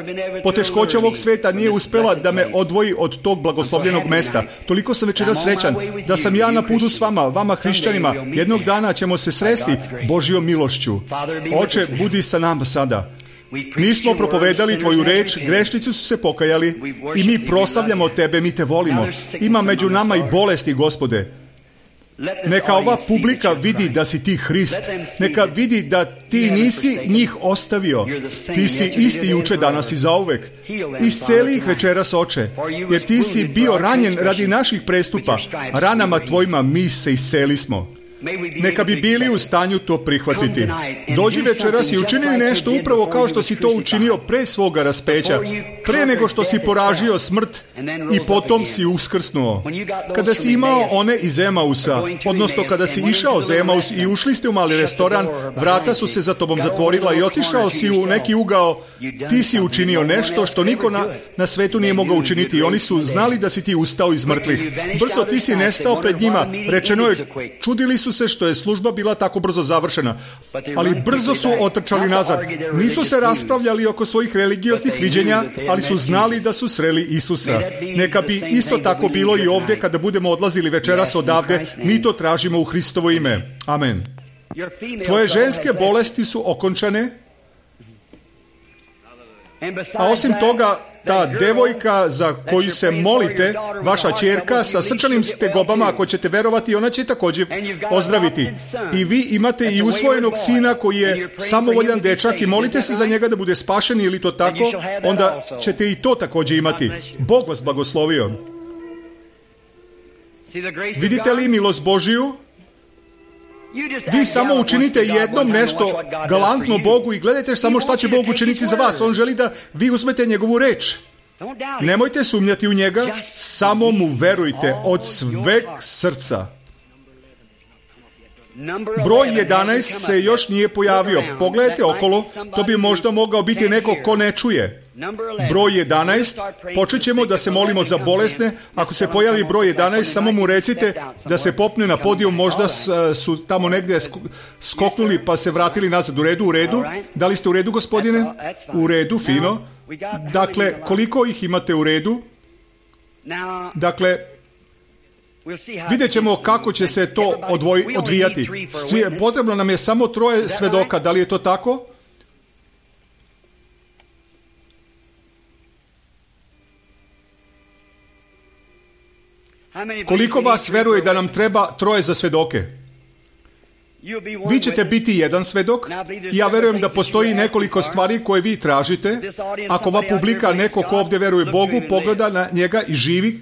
Speaker 1: poteškoća ovog sveta nije uspjela da me odvoji od tog blagoslovljenog mesta. Toliko sam večeras srećan da sam ja na putu s vama hrišćanima. Jednog dana ćemo se sresti Božjom milošću. Oče, budi sa nama sada. Mi smo propovedali tvoju reč, grešnici su se pokajali i mi proslavljamo tebe, mi te volimo. Ima među nama i bolesti, Gospode. Neka ova publika vidi da si ti Hrist. Neka vidi da ti nisi njih ostavio. Ti si isti juče, danas i zauvek. Isceli ih večeras, Oče, jer ti si bio ranjen radi naših prestupa. Ranama tvojima mi se isceli smo. Neka bi bili u stanju to prihvatiti. Dođi večeras i učini nešto upravo kao što si to učinio pre svoga raspeća, pre nego što si poražio smrt i potom si uskrsnuo. Kada si imao one iz Emausa, odnosno kada si išao za Emaus i ušli ste u mali restoran, vrata su se za tobom zatvorila i otišao si u neki ugao, ti si učinio nešto što niko na svetu nije mogao učiniti i oni su znali da si ti ustao iz mrtvih. Brzo ti si nestao pred njima, rečeno je, čudili su se što je služba bila tako brzo završena. Ali brzo su otrčali nazad. Nisu se raspravljali oko svojih religioznih viđenja, ali su znali da su sreli Isusa. Neka bi isto tako bilo i ovdje kada budemo odlazili večeras odavde. Mi to tražimo u Hristovo ime. Amen. Tvoje ženske bolesti su okončane. A osim toga, ta devojka za koju se molite, vaša ćerka, sa srčanim tegobama, ako ćete verovati, ona će također ozdraviti. I vi imate i usvojenog sina koji je samovoljan dečak i molite se za njega da bude spašen ili to tako, onda ćete i to također imati. Bog vas blagoslovio. Vidite li milost Božiju? Vi samo učinite jednom nešto galantno Bogu i gledajte samo šta će Bog učiniti za vas. On želi da vi uzmete njegovu reč. Nemojte sumnjati u njega, samo mu verujte od sveg srca. Broj 11 se još nije pojavio. Pogledajte okolo, to bi možda mogao biti neko ko ne čuje. Broj 11, počet ćemo da se molimo za bolesne. Ako se pojavi broj 11, samo mu recite da se popne na podijum, možda su tamo negdje skoknuli pa se vratili nazad. U redu? Da li ste u redu, gospodine? U redu, fino. Dakle, koliko ih imate u redu? Dakle, vidjet ćemo kako će se to odvijati. Potrebno nam je samo 3 svedoka, da li je to tako? Koliko vas veruje da nam treba 3 za svedoke? Vi ćete biti jedan svedok. Ja verujem da postoji nekoliko stvari koje vi tražite. Ako ova publika, neko ko ovdje veruje Bogu, pogleda na njega i živi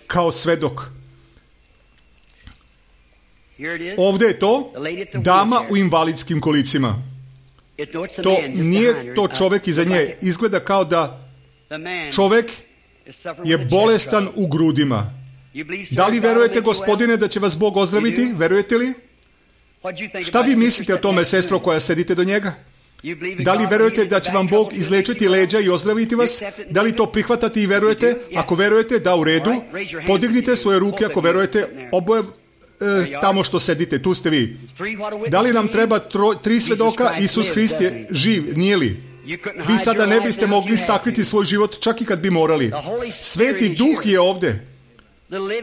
Speaker 1: kao svedok. Ovdje je to dama u invalidskim kolicima. To nije to čovjek iza nje. Izgleda kao da čovjek je bolestan u grudima. Da li verujete, gospodine, da će vas Bog ozdraviti? Verujete li? Šta vi mislite o tome, sestro, koja sedite do njega? Da li verujete da će vam Bog izlečiti leđa i ozdraviti vas? Da li to prihvatate i verujete? Ako verujete, da, u redu. Podignite svoje ruke ako verujete. Oboje tamo što sedite, tu ste vi. Da li nam treba 3 svedoka? Isus Hrist je živ, nije li? Vi sada ne biste mogli sakriti svoj život, čak i kad bi morali. Sveti Duh je ovdje.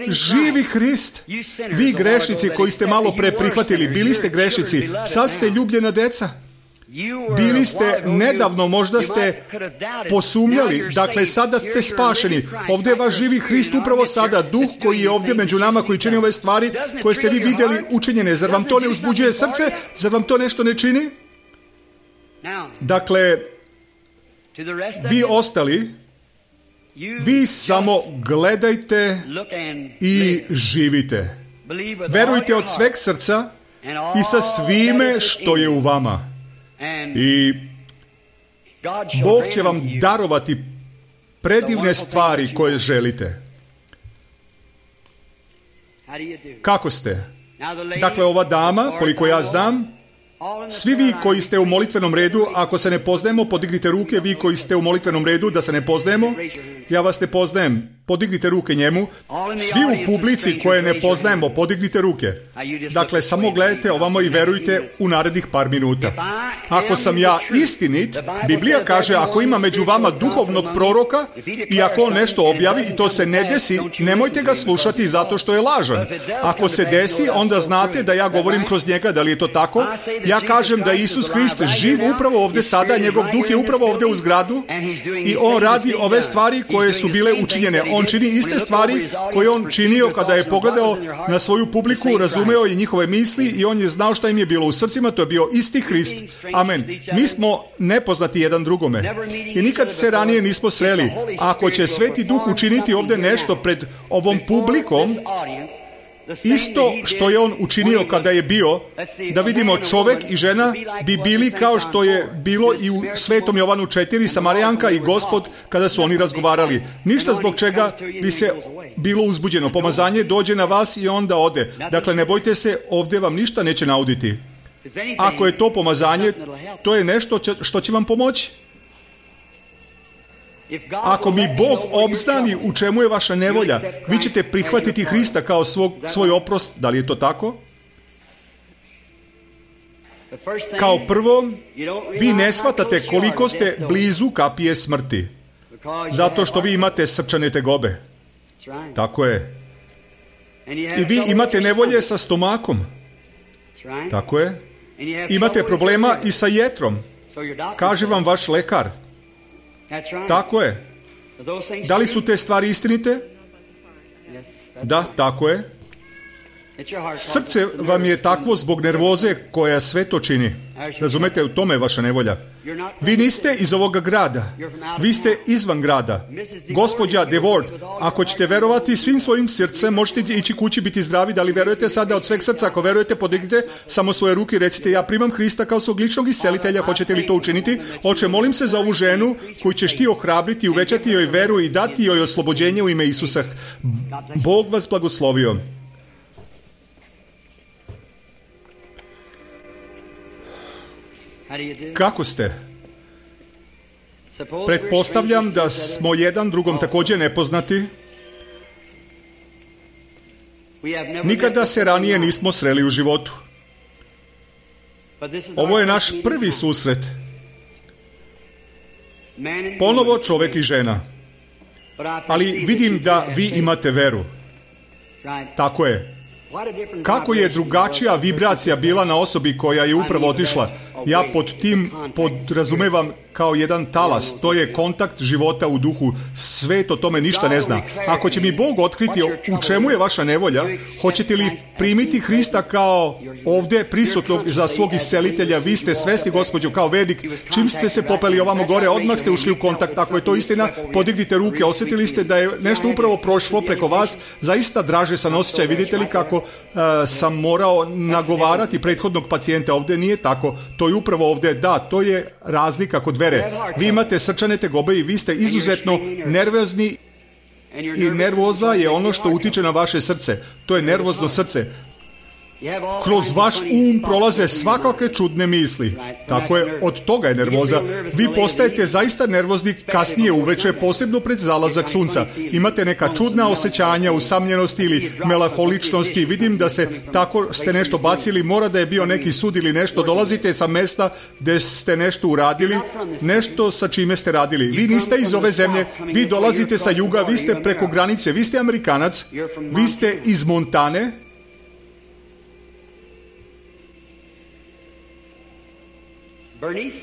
Speaker 1: Živi Hrist. Vi grešnici koji ste malo pre prihvatili, bili ste grešnici, sad ste ljubljena deca. Bili ste nedavno, možda ste posumnjali, dakle sada ste spašeni. Ovdje je vaš živi Hrist upravo sada, Duh koji je ovdje među nama, koji čini ove stvari koje ste vi vidjeli učinjene. Zar vam to ne uzbuđuje srce? Zar vam to nešto ne čini? Dakle, vi ostali, vi samo gledajte i živite. Verujte od sveg srca i sa svime što je u vama. I Bog će vam darovati predivne stvari koje želite. Kako ste? Dakle, ova dama, koliko ja znam, svi vi koji ste u molitvenom redu, ako se ne poznajemo, podignite ruke. Vi koji ste u molitvenom redu, da se ne poznajemo, ja vas ne poznajem, podignite ruke njemu. Svi u publici koje ne poznajemo, podignite ruke. Dakle, samo gledajte ovamo i verujte u narednih par minuta. Ako sam ja istinit, Biblija kaže, ako ima među vama duhovnog proroka i ako on nešto objavi i to se ne desi, nemojte ga slušati zato što je lažan. Ako se desi, onda znate da ja govorim kroz njega. Da li je to tako? Ja kažem da Isus Hrist živ upravo ovdje sada, njegov duh je upravo ovdje u zgradu i on radi ove stvari koje su bile učinjene. On čini iste stvari koje on činio kada je pogledao na svoju publiku, razumeo i njihove misli i on je znao šta im je bilo u srcima, to je bio isti Hrist. Amen. Mi smo nepoznati jedan drugome i nikad se ranije nismo sreli. Ako će Sveti Duh učiniti ovdje nešto pred ovom publikom, isto što je on učinio kada je bio, da vidimo čovjek i žena bi bili kao što je bilo i u Svetom Jovanu 4, Samarijanka i Gospod kada su oni razgovarali. Ništa zbog čega bi se bilo uzbuđeno. Pomazanje dođe na vas i onda ode. Dakle, ne bojte se, ovdje vam ništa neće nauditi. Ako je to pomazanje, to je nešto što će vam pomoći. Ako mi Bog obznani u čemu je vaša nevolja, vi ćete prihvatiti Hrista kao svoj oprost. Da li je to tako? Kao prvo, vi ne shvatate koliko ste blizu kapije smrti. Zato što vi imate srčane tegobe. Tako je. I vi imate nevolje sa stomakom. Tako je. Imate problema i sa jetrom. Kaže vam vaš lekar. Tako je. Da li su te stvari istinite? Da, tako je. Srce vam je takvo zbog nervoze koja sve to čini. Razumete, u tome je vaša nevolja. Vi niste iz ovoga grada. Vi ste izvan grada. Gospođa DeWard, ako ćete verovati svim svojim srcem, možete ići kući, biti zdravi. Da li verujete sada od sveg srca? Ako verujete, podignite samo svoje ruke i recite: ja primam Hrista kao svog ličnog iscelitelja. Hoćete li to učiniti? Oče, molim se za ovu ženu koju ćeš ti ohrabriti, uvećati joj veru i dati joj oslobođenje u ime Isusa. Bog vas blagoslovio. Kako ste? Pretpostavljam da smo jedan drugom također nepoznati. Nikada se ranije nismo sreli u životu. Ovo je naš prvi susret. Ponovo čovjek i žena. Ali vidim da vi imate veru. Tako je. Kako je drugačija vibracija bila na osobi koja je upravo otišla? Ja pod tim podrazumevam kao jedan talas. To je kontakt života u duhu. Svet o tome ništa ne zna. Ako će mi Bog otkriti u čemu je vaša nevolja, hoćete li primiti Hrista kao ovdje prisutnog za svog iscelitelja? Vi ste svesni, gospođo, kao vernik. Čim ste se popeli ovamo gore, odmah ste ušli u kontakt. Ako je to istina, podignite ruke. Osjetili ste da je nešto upravo prošlo preko vas. Zaista draže sam osjećaj. Vidite li kako sam morao nagovarati prethodnog pacijenta? Ovdje nije tako. To je upravo ovdje. Da, to je razlika kod vere. Vi imate srčane tegobe i vi ste izuzetno nervozni i nervoza je ono što utiče na vaše srce. To je nervozno srce. Kroz vaš prolaze svakakve čudne misli. Tako je, od toga je nervoza. Vi postajete zaista nervozni kasnije uveče, posebno pred zalazak sunca. Imate neka čudna osjećanja usamljenosti ili melaholičnosti. Vidim da se tako ste nešto bacili, mora da je bio neki sud ili nešto. Dolazite sa mesta gdje ste nešto uradili, nešto sa čime ste radili. Vi niste iz ove zemlje, vi dolazite sa juga, vi ste preko granice, vi ste Amerikanac, vi ste iz Montane.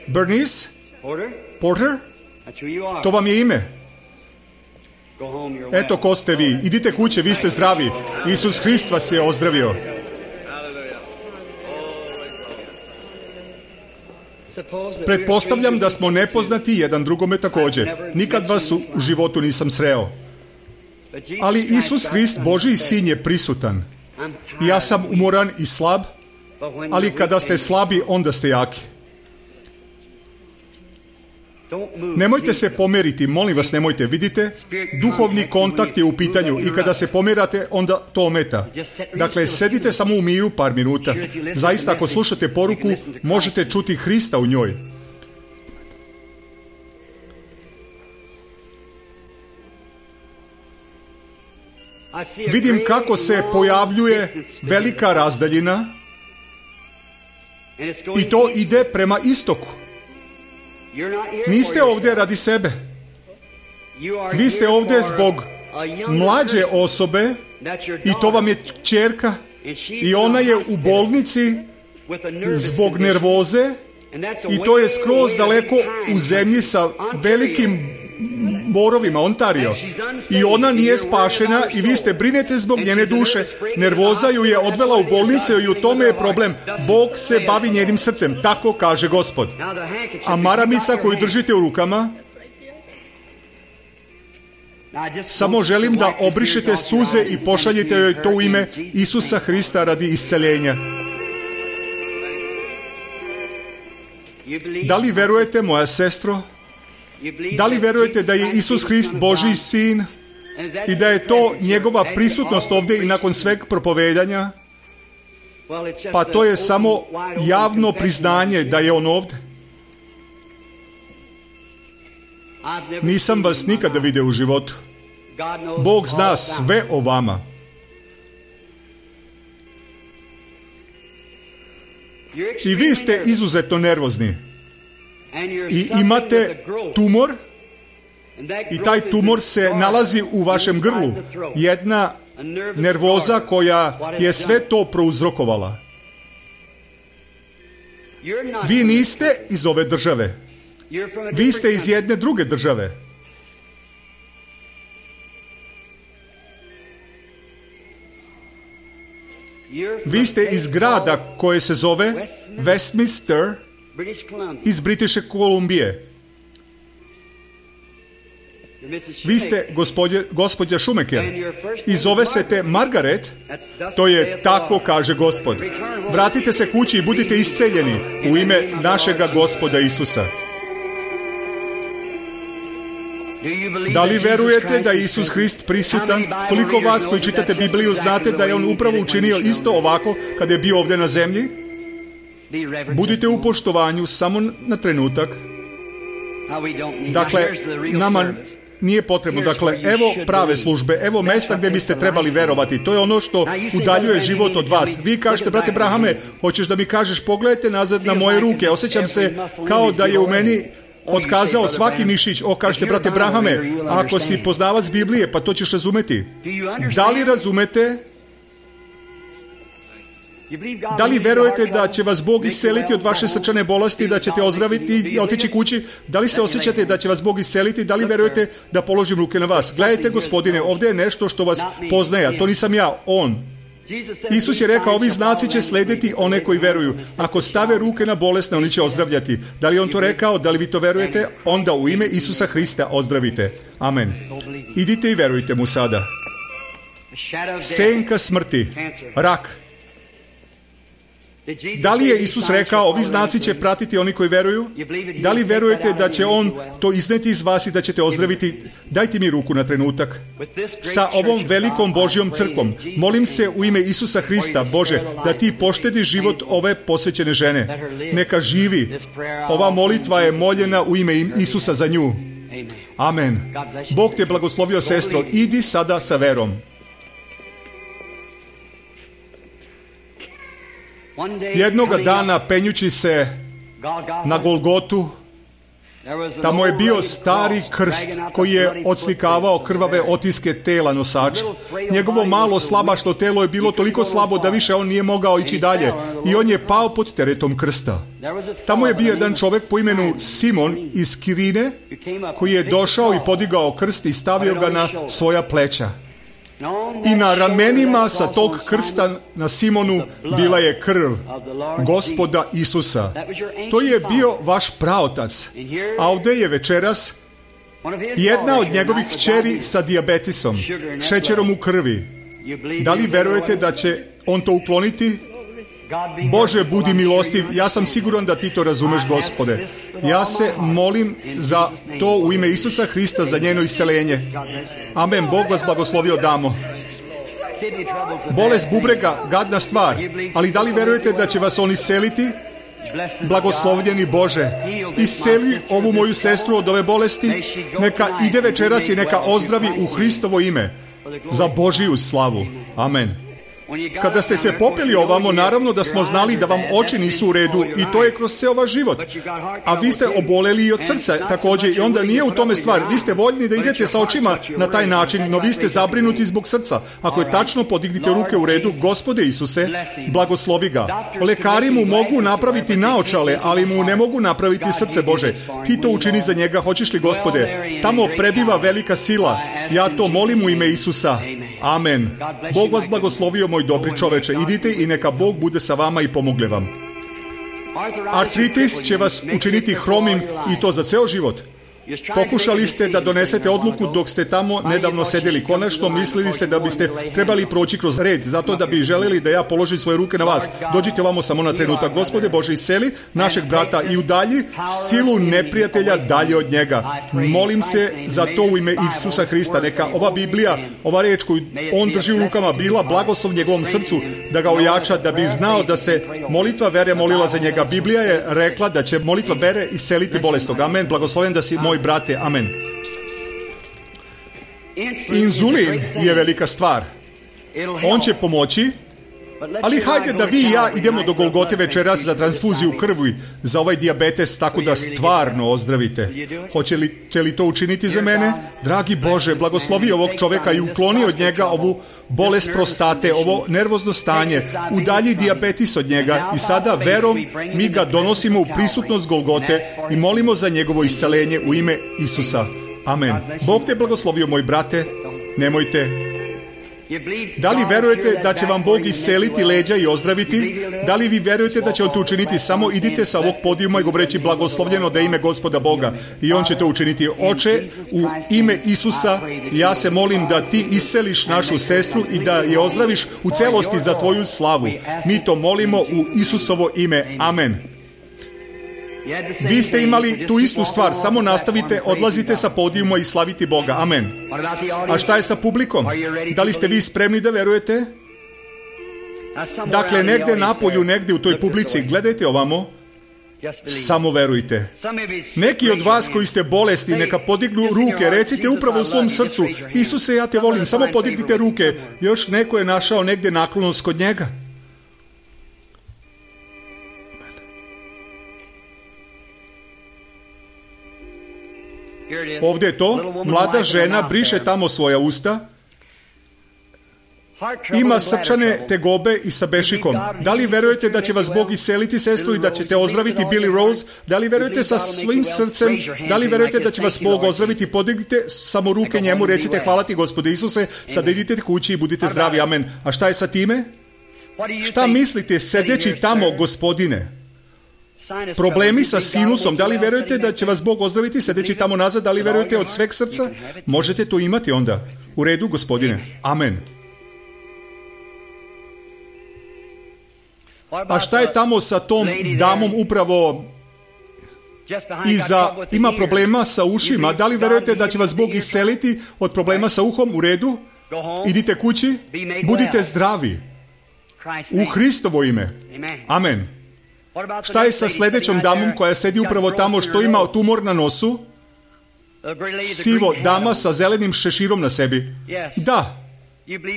Speaker 1: Bernice? Porter? To vam je ime. Eto ko ste vi. Idite kuće, vi ste zdravi. Isus Hrist vas je ozdravio. Pretpostavljam da smo nepoznati jedan drugome također. Nikad vas u životu nisam sreo. Ali Isus Hrist, Božji sin, je prisutan. Ja sam umoran i slab, ali kada ste slabi, onda ste jaki. Nemojte se pomeriti, molim vas, nemojte. Vidite, duhovni kontakt je u pitanju i kada se pomerate, onda to ometa. Dakle, sedite samo u miru par minuta. Zaista, ako slušate poruku, možete čuti Hrista u njoj. Vidim kako se pojavljuje velika razdaljina i to ide prema istoku. Niste ovdje radi sebe. Vi ste ovdje zbog mlađe osobe i to vam je kćerka i ona je u bolnici zbog nervoze i to je skroz daleko u zemlji sa velikim borovima, Ontario. I ona nije spašena i vi ste brinete zbog njene duše. Nervoza ju je odvela u bolnicu i u tome je problem. Bog se bavi njenim srcem, tako kaže Gospod. A maramica koju držite u rukama, samo želim da obrišete suze i pošaljete joj to u ime Isusa Hrista radi isceljenja. Da li verujete, moja sestro? Da li verujete da je Isus Hrist Božji sin i da je to njegova prisutnost ovdje i nakon sveg propovedanja? Pa to je samo javno priznanje da je on ovdje. Nisam vas nikada vidio u životu. Bog zna sve o vama. I vi ste izuzetno nervozni. I imate tumor i taj tumor se nalazi u vašem grlu. Jedna nervoza koja je sve to prouzrokovala. Vi niste iz ove države. Vi ste iz jedne druge države. Vi ste iz grada koje se zove Westminster iz British Kolumbije. Vi ste gospođa Šumeker i zove se te Margaret. To je tako kaže Gospod. Vratite se kući i budite isceljeni u ime našega Gospoda Isusa. Da li verujete da je Isus Hrist prisutan? Koliko vas koji čitate Bibliju znate da je On upravo učinio isto ovako kada je bio ovdje na zemlji? Budite u poštovanju samo na trenutak. Dakle, nama nije potrebno. Dakle, evo prave službe, evo mesta gdje biste trebali verovati. To je ono što udaljuje život od vas. Vi kažete, brate Brahame, hoćeš da mi kažeš, pogledajte nazad na moje ruke. Osjećam se kao da je u meni otkazao svaki mišić. Kažete, brate Brahame, ako si poznavac Biblije, pa to ćeš razumeti. Da li razumete? Da li verujete da će vas Bog isceliti od vaše srčane bolesti, da ćete ozdraviti i otići kući? Da li se osjećate da će vas Bog isceliti? Da li verujete da položim ruke na vas? Gledajte, Gospodine, ovdje je nešto što vas poznaje, a to nisam ja, On. Isus je rekao, ovi znaci će slediti one koji veruju. Ako stave ruke na bolesne, oni će ozdravljati. Da li On to rekao? Da li vi to verujete? Onda u ime Isusa Hrista ozdravite. Amen. Idite i verujte mu sada. Senka smrti, rak. Da li je Isus rekao, ovi znaci će pratiti oni koji veruju? Da li verujete da će On to izneti iz vas i da ćete ozdraviti? Dajte mi ruku na trenutak. Sa ovom velikom Božjom crkvom, molim se u ime Isusa Hrista, Bože, da ti poštedi život ove posvećene žene. Neka živi. Ova molitva je moljena u ime Isusa za nju. Amen. Bog te blagoslovio, sestro. Idi sada sa verom. Jednoga dana, penjući se na Golgotu, tamo je bio stari krst koji je odslikavao krvave otiske tela nosača. Njegovo malo slabašno telo je bilo toliko slabo da više on nije mogao ići dalje i on je pao pod teretom krsta. Tamo je bio jedan čovjek po imenu Simon iz Kirine koji je došao i podigao krst i stavio ga na svoja pleća. I na ramenima sa tog krsta na Simonu bila je krv Gospoda Isusa. To je bio vaš praotac. A ovdje je večeras jedna od njegovih kćeri sa dijabetesom, šećerom u krvi. Da li verujete da će on to ukloniti? Bože, budi milostiv, ja sam siguran da ti to razumeš, Gospode. Ja se molim za to u ime Isusa Hrista, za njeno isceljenje. Amen, Bog vas blagoslovio, damo. Bolest bubrega, gadna stvar, ali da li verujete da će vas on isceliti? Blagoslovljeni Bože, isceli ovu moju sestru od ove bolesti, neka ide večeras i neka ozdravi u Hristovo ime, za Božiju slavu. Amen. Kada ste se popeli ovamo, naravno da smo znali da vam oči nisu u redu i to je kroz ceo vaš život. A vi ste oboleli i od srca također i onda nije u tome stvar. Vi ste voljni da idete sa očima na taj način, no vi ste zabrinuti zbog srca. Ako je tačno, podignite ruke u redu. Gospode Isuse, blagoslovi ga. Lekari mu mogu napraviti naočale, ali mu ne mogu napraviti srce, Bože. Ti to učini za njega, hoćeš li, Gospode? Tamo prebiva velika sila. Ja to molim u ime Isusa. Amen. Bog vas blagoslovio, moj dobri čoveče. Idite i neka Bog bude sa vama i pomogne vam. Artritis će vas učiniti hromim i to za ceo život. Pokušali ste da donesete odluku dok ste tamo nedavno sedeli. Konačno mislili ste da biste trebali proći kroz red, zato da bi želeli da ja položim svoje ruke na vas. Dođite ovamo samo na trenutak. Gospode Bože, isceli našeg brata i udalji silu neprijatelja dalje od njega. Molim se za to u ime Isusa Hrista. Neka ova Biblija, ova reč koju on drži u rukama, bila blagoslov njegovom srcu, da ga ojača, da bi znao da se molitva vere molila za njega. Biblija je rekla da će molitva vere isceliti bolestnog. Amen. Blagoslovljen da si moj moj brate, amen. Inzulin je velika stvar. On će pomoći, ali hajde da vi i ja idemo do Golgote večeras za transfuziju krvi za ovaj dijabetes, tako da stvarno ozdravite. Hoćete li to učiniti za mene? Dragi Bože, blagoslovi ovog čoveka i ukloni od njega ovu bolest prostate, ovo nervozno stanje, udalji dijabetes od njega i sada verom mi ga donosimo u prisutnost Golgote i molimo za njegovo isceljenje u ime Isusa. Amen. Bog te blagoslovio, moj brate, nemojte. Da li verujete da će vam Bog isceliti leđa i ozdraviti? Da li vi verujete da će on to učiniti? Samo idite sa ovog podijuma i govoreći blagoslovljeno da je ime Gospoda Boga. I on će to učiniti. Oče, u ime Isusa, ja se molim da ti isceliš našu sestru i da je ozdraviš u celosti za tvoju slavu. Mi to molimo u Isusovo ime. Amen. Vi ste imali tu istu stvar, samo nastavite, odlazite sa podijuma i slaviti Boga. Amen. A šta je sa publikom? Da li ste vi spremni da verujete? Dakle, negde napolju, negde u toj publici, gledajte ovamo, samo verujte. Neki od vas koji ste bolesni, neka podignu ruke, recite upravo u svom srcu, Isuse, ja te volim, samo podignite ruke. Još neko je našao negde naklonost kod njega. Ovdje je to, mlada žena briše tamo svoja usta, ima srčane tegobe i sa bešikom. Da li verujete da će vas Bog isceliti, sestru, i da ćete ozdraviti Billy Rose? Da li verujete sa svim srcem? Da li verujete da će vas Bog ozdraviti? Podignite samo ruke njemu, recite hvala ti Gospode Isuse, sada idite kući i budite zdravi, amen. A šta je sa time? Šta mislite sedeći tamo, Gospodine? Problemi sa sinusom, da li verujete da će vas Bog ozdraviti sedeći tamo nazad? Da li verujete od sveg srca? Možete to imati onda. U redu, Gospodine. Amen. A šta je tamo sa tom damom upravo ima problema sa ušima? Da li verujete da će vas Bog isceliti od problema sa uhom? U redu. Idite kući. Budite zdravi. U Hristovo ime. Amen. Šta je sa sljedećom damom koja sedi upravo tamo što ima tumor na nosu? Sivo, dama sa zelenim šeširom na sebi. Da.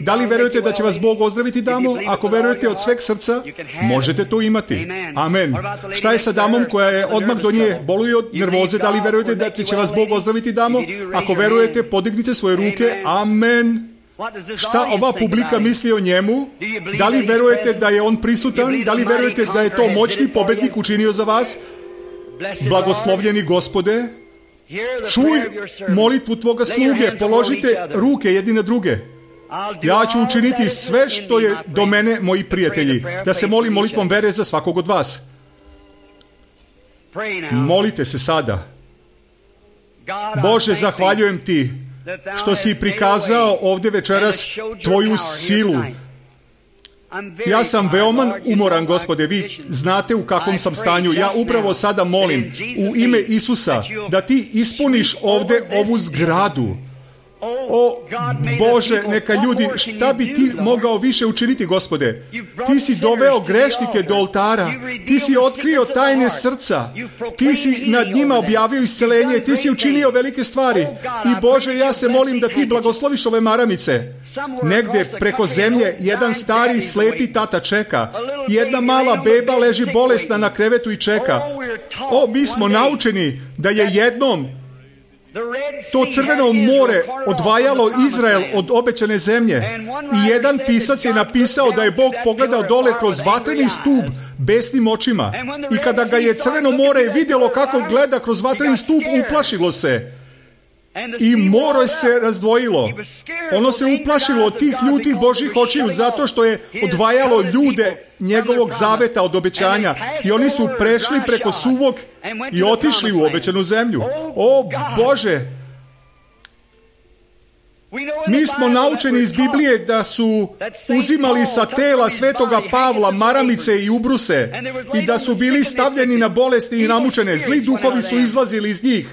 Speaker 1: Da li verujete da će vas Bog ozdraviti, damo? Ako verujete od sveg srca, možete to imati. Amen. Šta je sa damom koja je odmah do nje boluje od nervoze? Da li verujete da će vas Bog ozdraviti, damo? Ako verujete, podignite svoje ruke. Amen. Šta ova publika misli o njemu? Da li verujete da je on prisutan? Da li verujete da je to moćni pobednik učinio za vas? Blagoslovljeni Gospode, čuj molitvu tvoga sluge, položite ruke jedni na druge. Ja ću učiniti sve što je do mene, moji prijatelji, da se molim molitvom vere za svakog od vas. Molite se sada. Bože, zahvaljujem ti što si prikazao ovdje večeras tvoju silu. Ja sam veoma umoran, Gospode, vi znate u kakvom sam stanju. Ja upravo sada molim u ime Isusa da ti ispuniš ovdje ovu zgradu. O Bože, neka ljudi, šta bi ti mogao više učiniti, Gospode? Ti si doveo grešnike do oltara, ti si otkrio tajne srca, ti si nad njima objavio isceljenje, ti si učinio velike stvari. I Bože, ja se molim da ti blagosloviš ove maramice. Negde preko zemlje jedan stari slepi tata čeka, jedna mala beba leži bolesna na krevetu i čeka. O, mi smo naučeni da je jednom to crveno more odvajalo Izrael od obećane zemlje. I jedan pisac je napisao da je Bog pogledao dole kroz vatreni stup besnim očima. I kada ga je crveno more vidjelo kako gleda kroz vatreni stup, uplašilo se. I more se razdvojilo. Ono se uplašilo od tih ljutih Božjih očiju zato što je odvajalo ljude njegovog zaveta od obećanja. I oni su prešli preko suvog i otišli u obećanu zemlju. O Bože! Mi smo naučeni iz Biblije da su uzimali sa tela svetoga Pavla maramice i ubruse i da su bili stavljeni na bolesti i namučene. Zli duhovi su izlazili iz njih.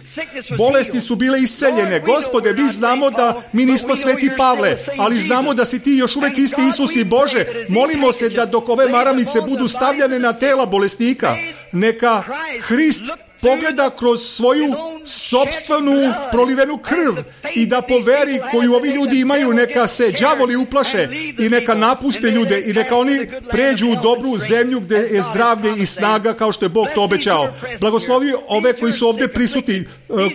Speaker 1: Bolesti su bile isceljene. Gospode, mi znamo da mi nismo sveti Pavle, ali znamo da si ti još uvijek isti Isus i Bože. Molimo se da dok ove maramice budu stavljane na tela bolesnika, neka Hrist pogleda kroz svoju sopstvenu prolivenu krv i da po veri koju ovi ljudi imaju neka se đavoli uplaše i neka napuste ljude i neka oni pređu u dobru zemlju gdje je zdravlje i snaga kao što je Bog to obećao. Blagoslovi ove koji su ovdje prisutni,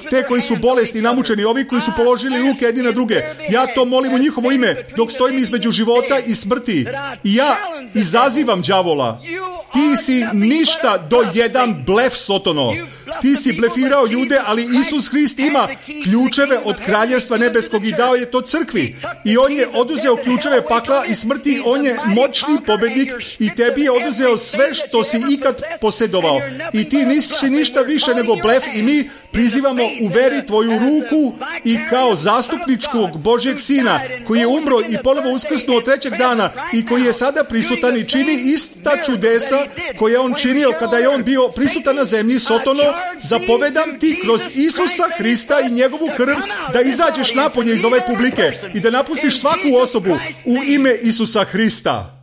Speaker 1: te koji su bolesni, namučeni, ovi koji su položili ruke jedni na druge. Ja to molim u njihovo ime dok stojim između života i smrti. I ja izazivam đavola. Ti si ništa do jedan blef, Sotono. Ti si blefirao ljude, ali Isus Hrist ima ključeve od kraljevstva nebeskog i dao je to crkvi. I on je oduzeo ključeve pakla i smrti, on je moćni pobednik i tebi je oduzeo sve što si ikad posjedovao. I ti nisi ništa više nego blef i mi prizivamo u veri tvoju ruku i kao zastupničkog Božjeg Sina koji je umro i ponovo uskrsnuo trećeg dana i koji je sada prisutan i čini ista čudesa koje je on činio kada je on bio prisutan na zemlji. Sotono, zapovedam ti kroz Isusa Hrista i njegovu krv da izađeš napolje iz ove publike i da napustiš svaku osobu u ime Isusa Hrista.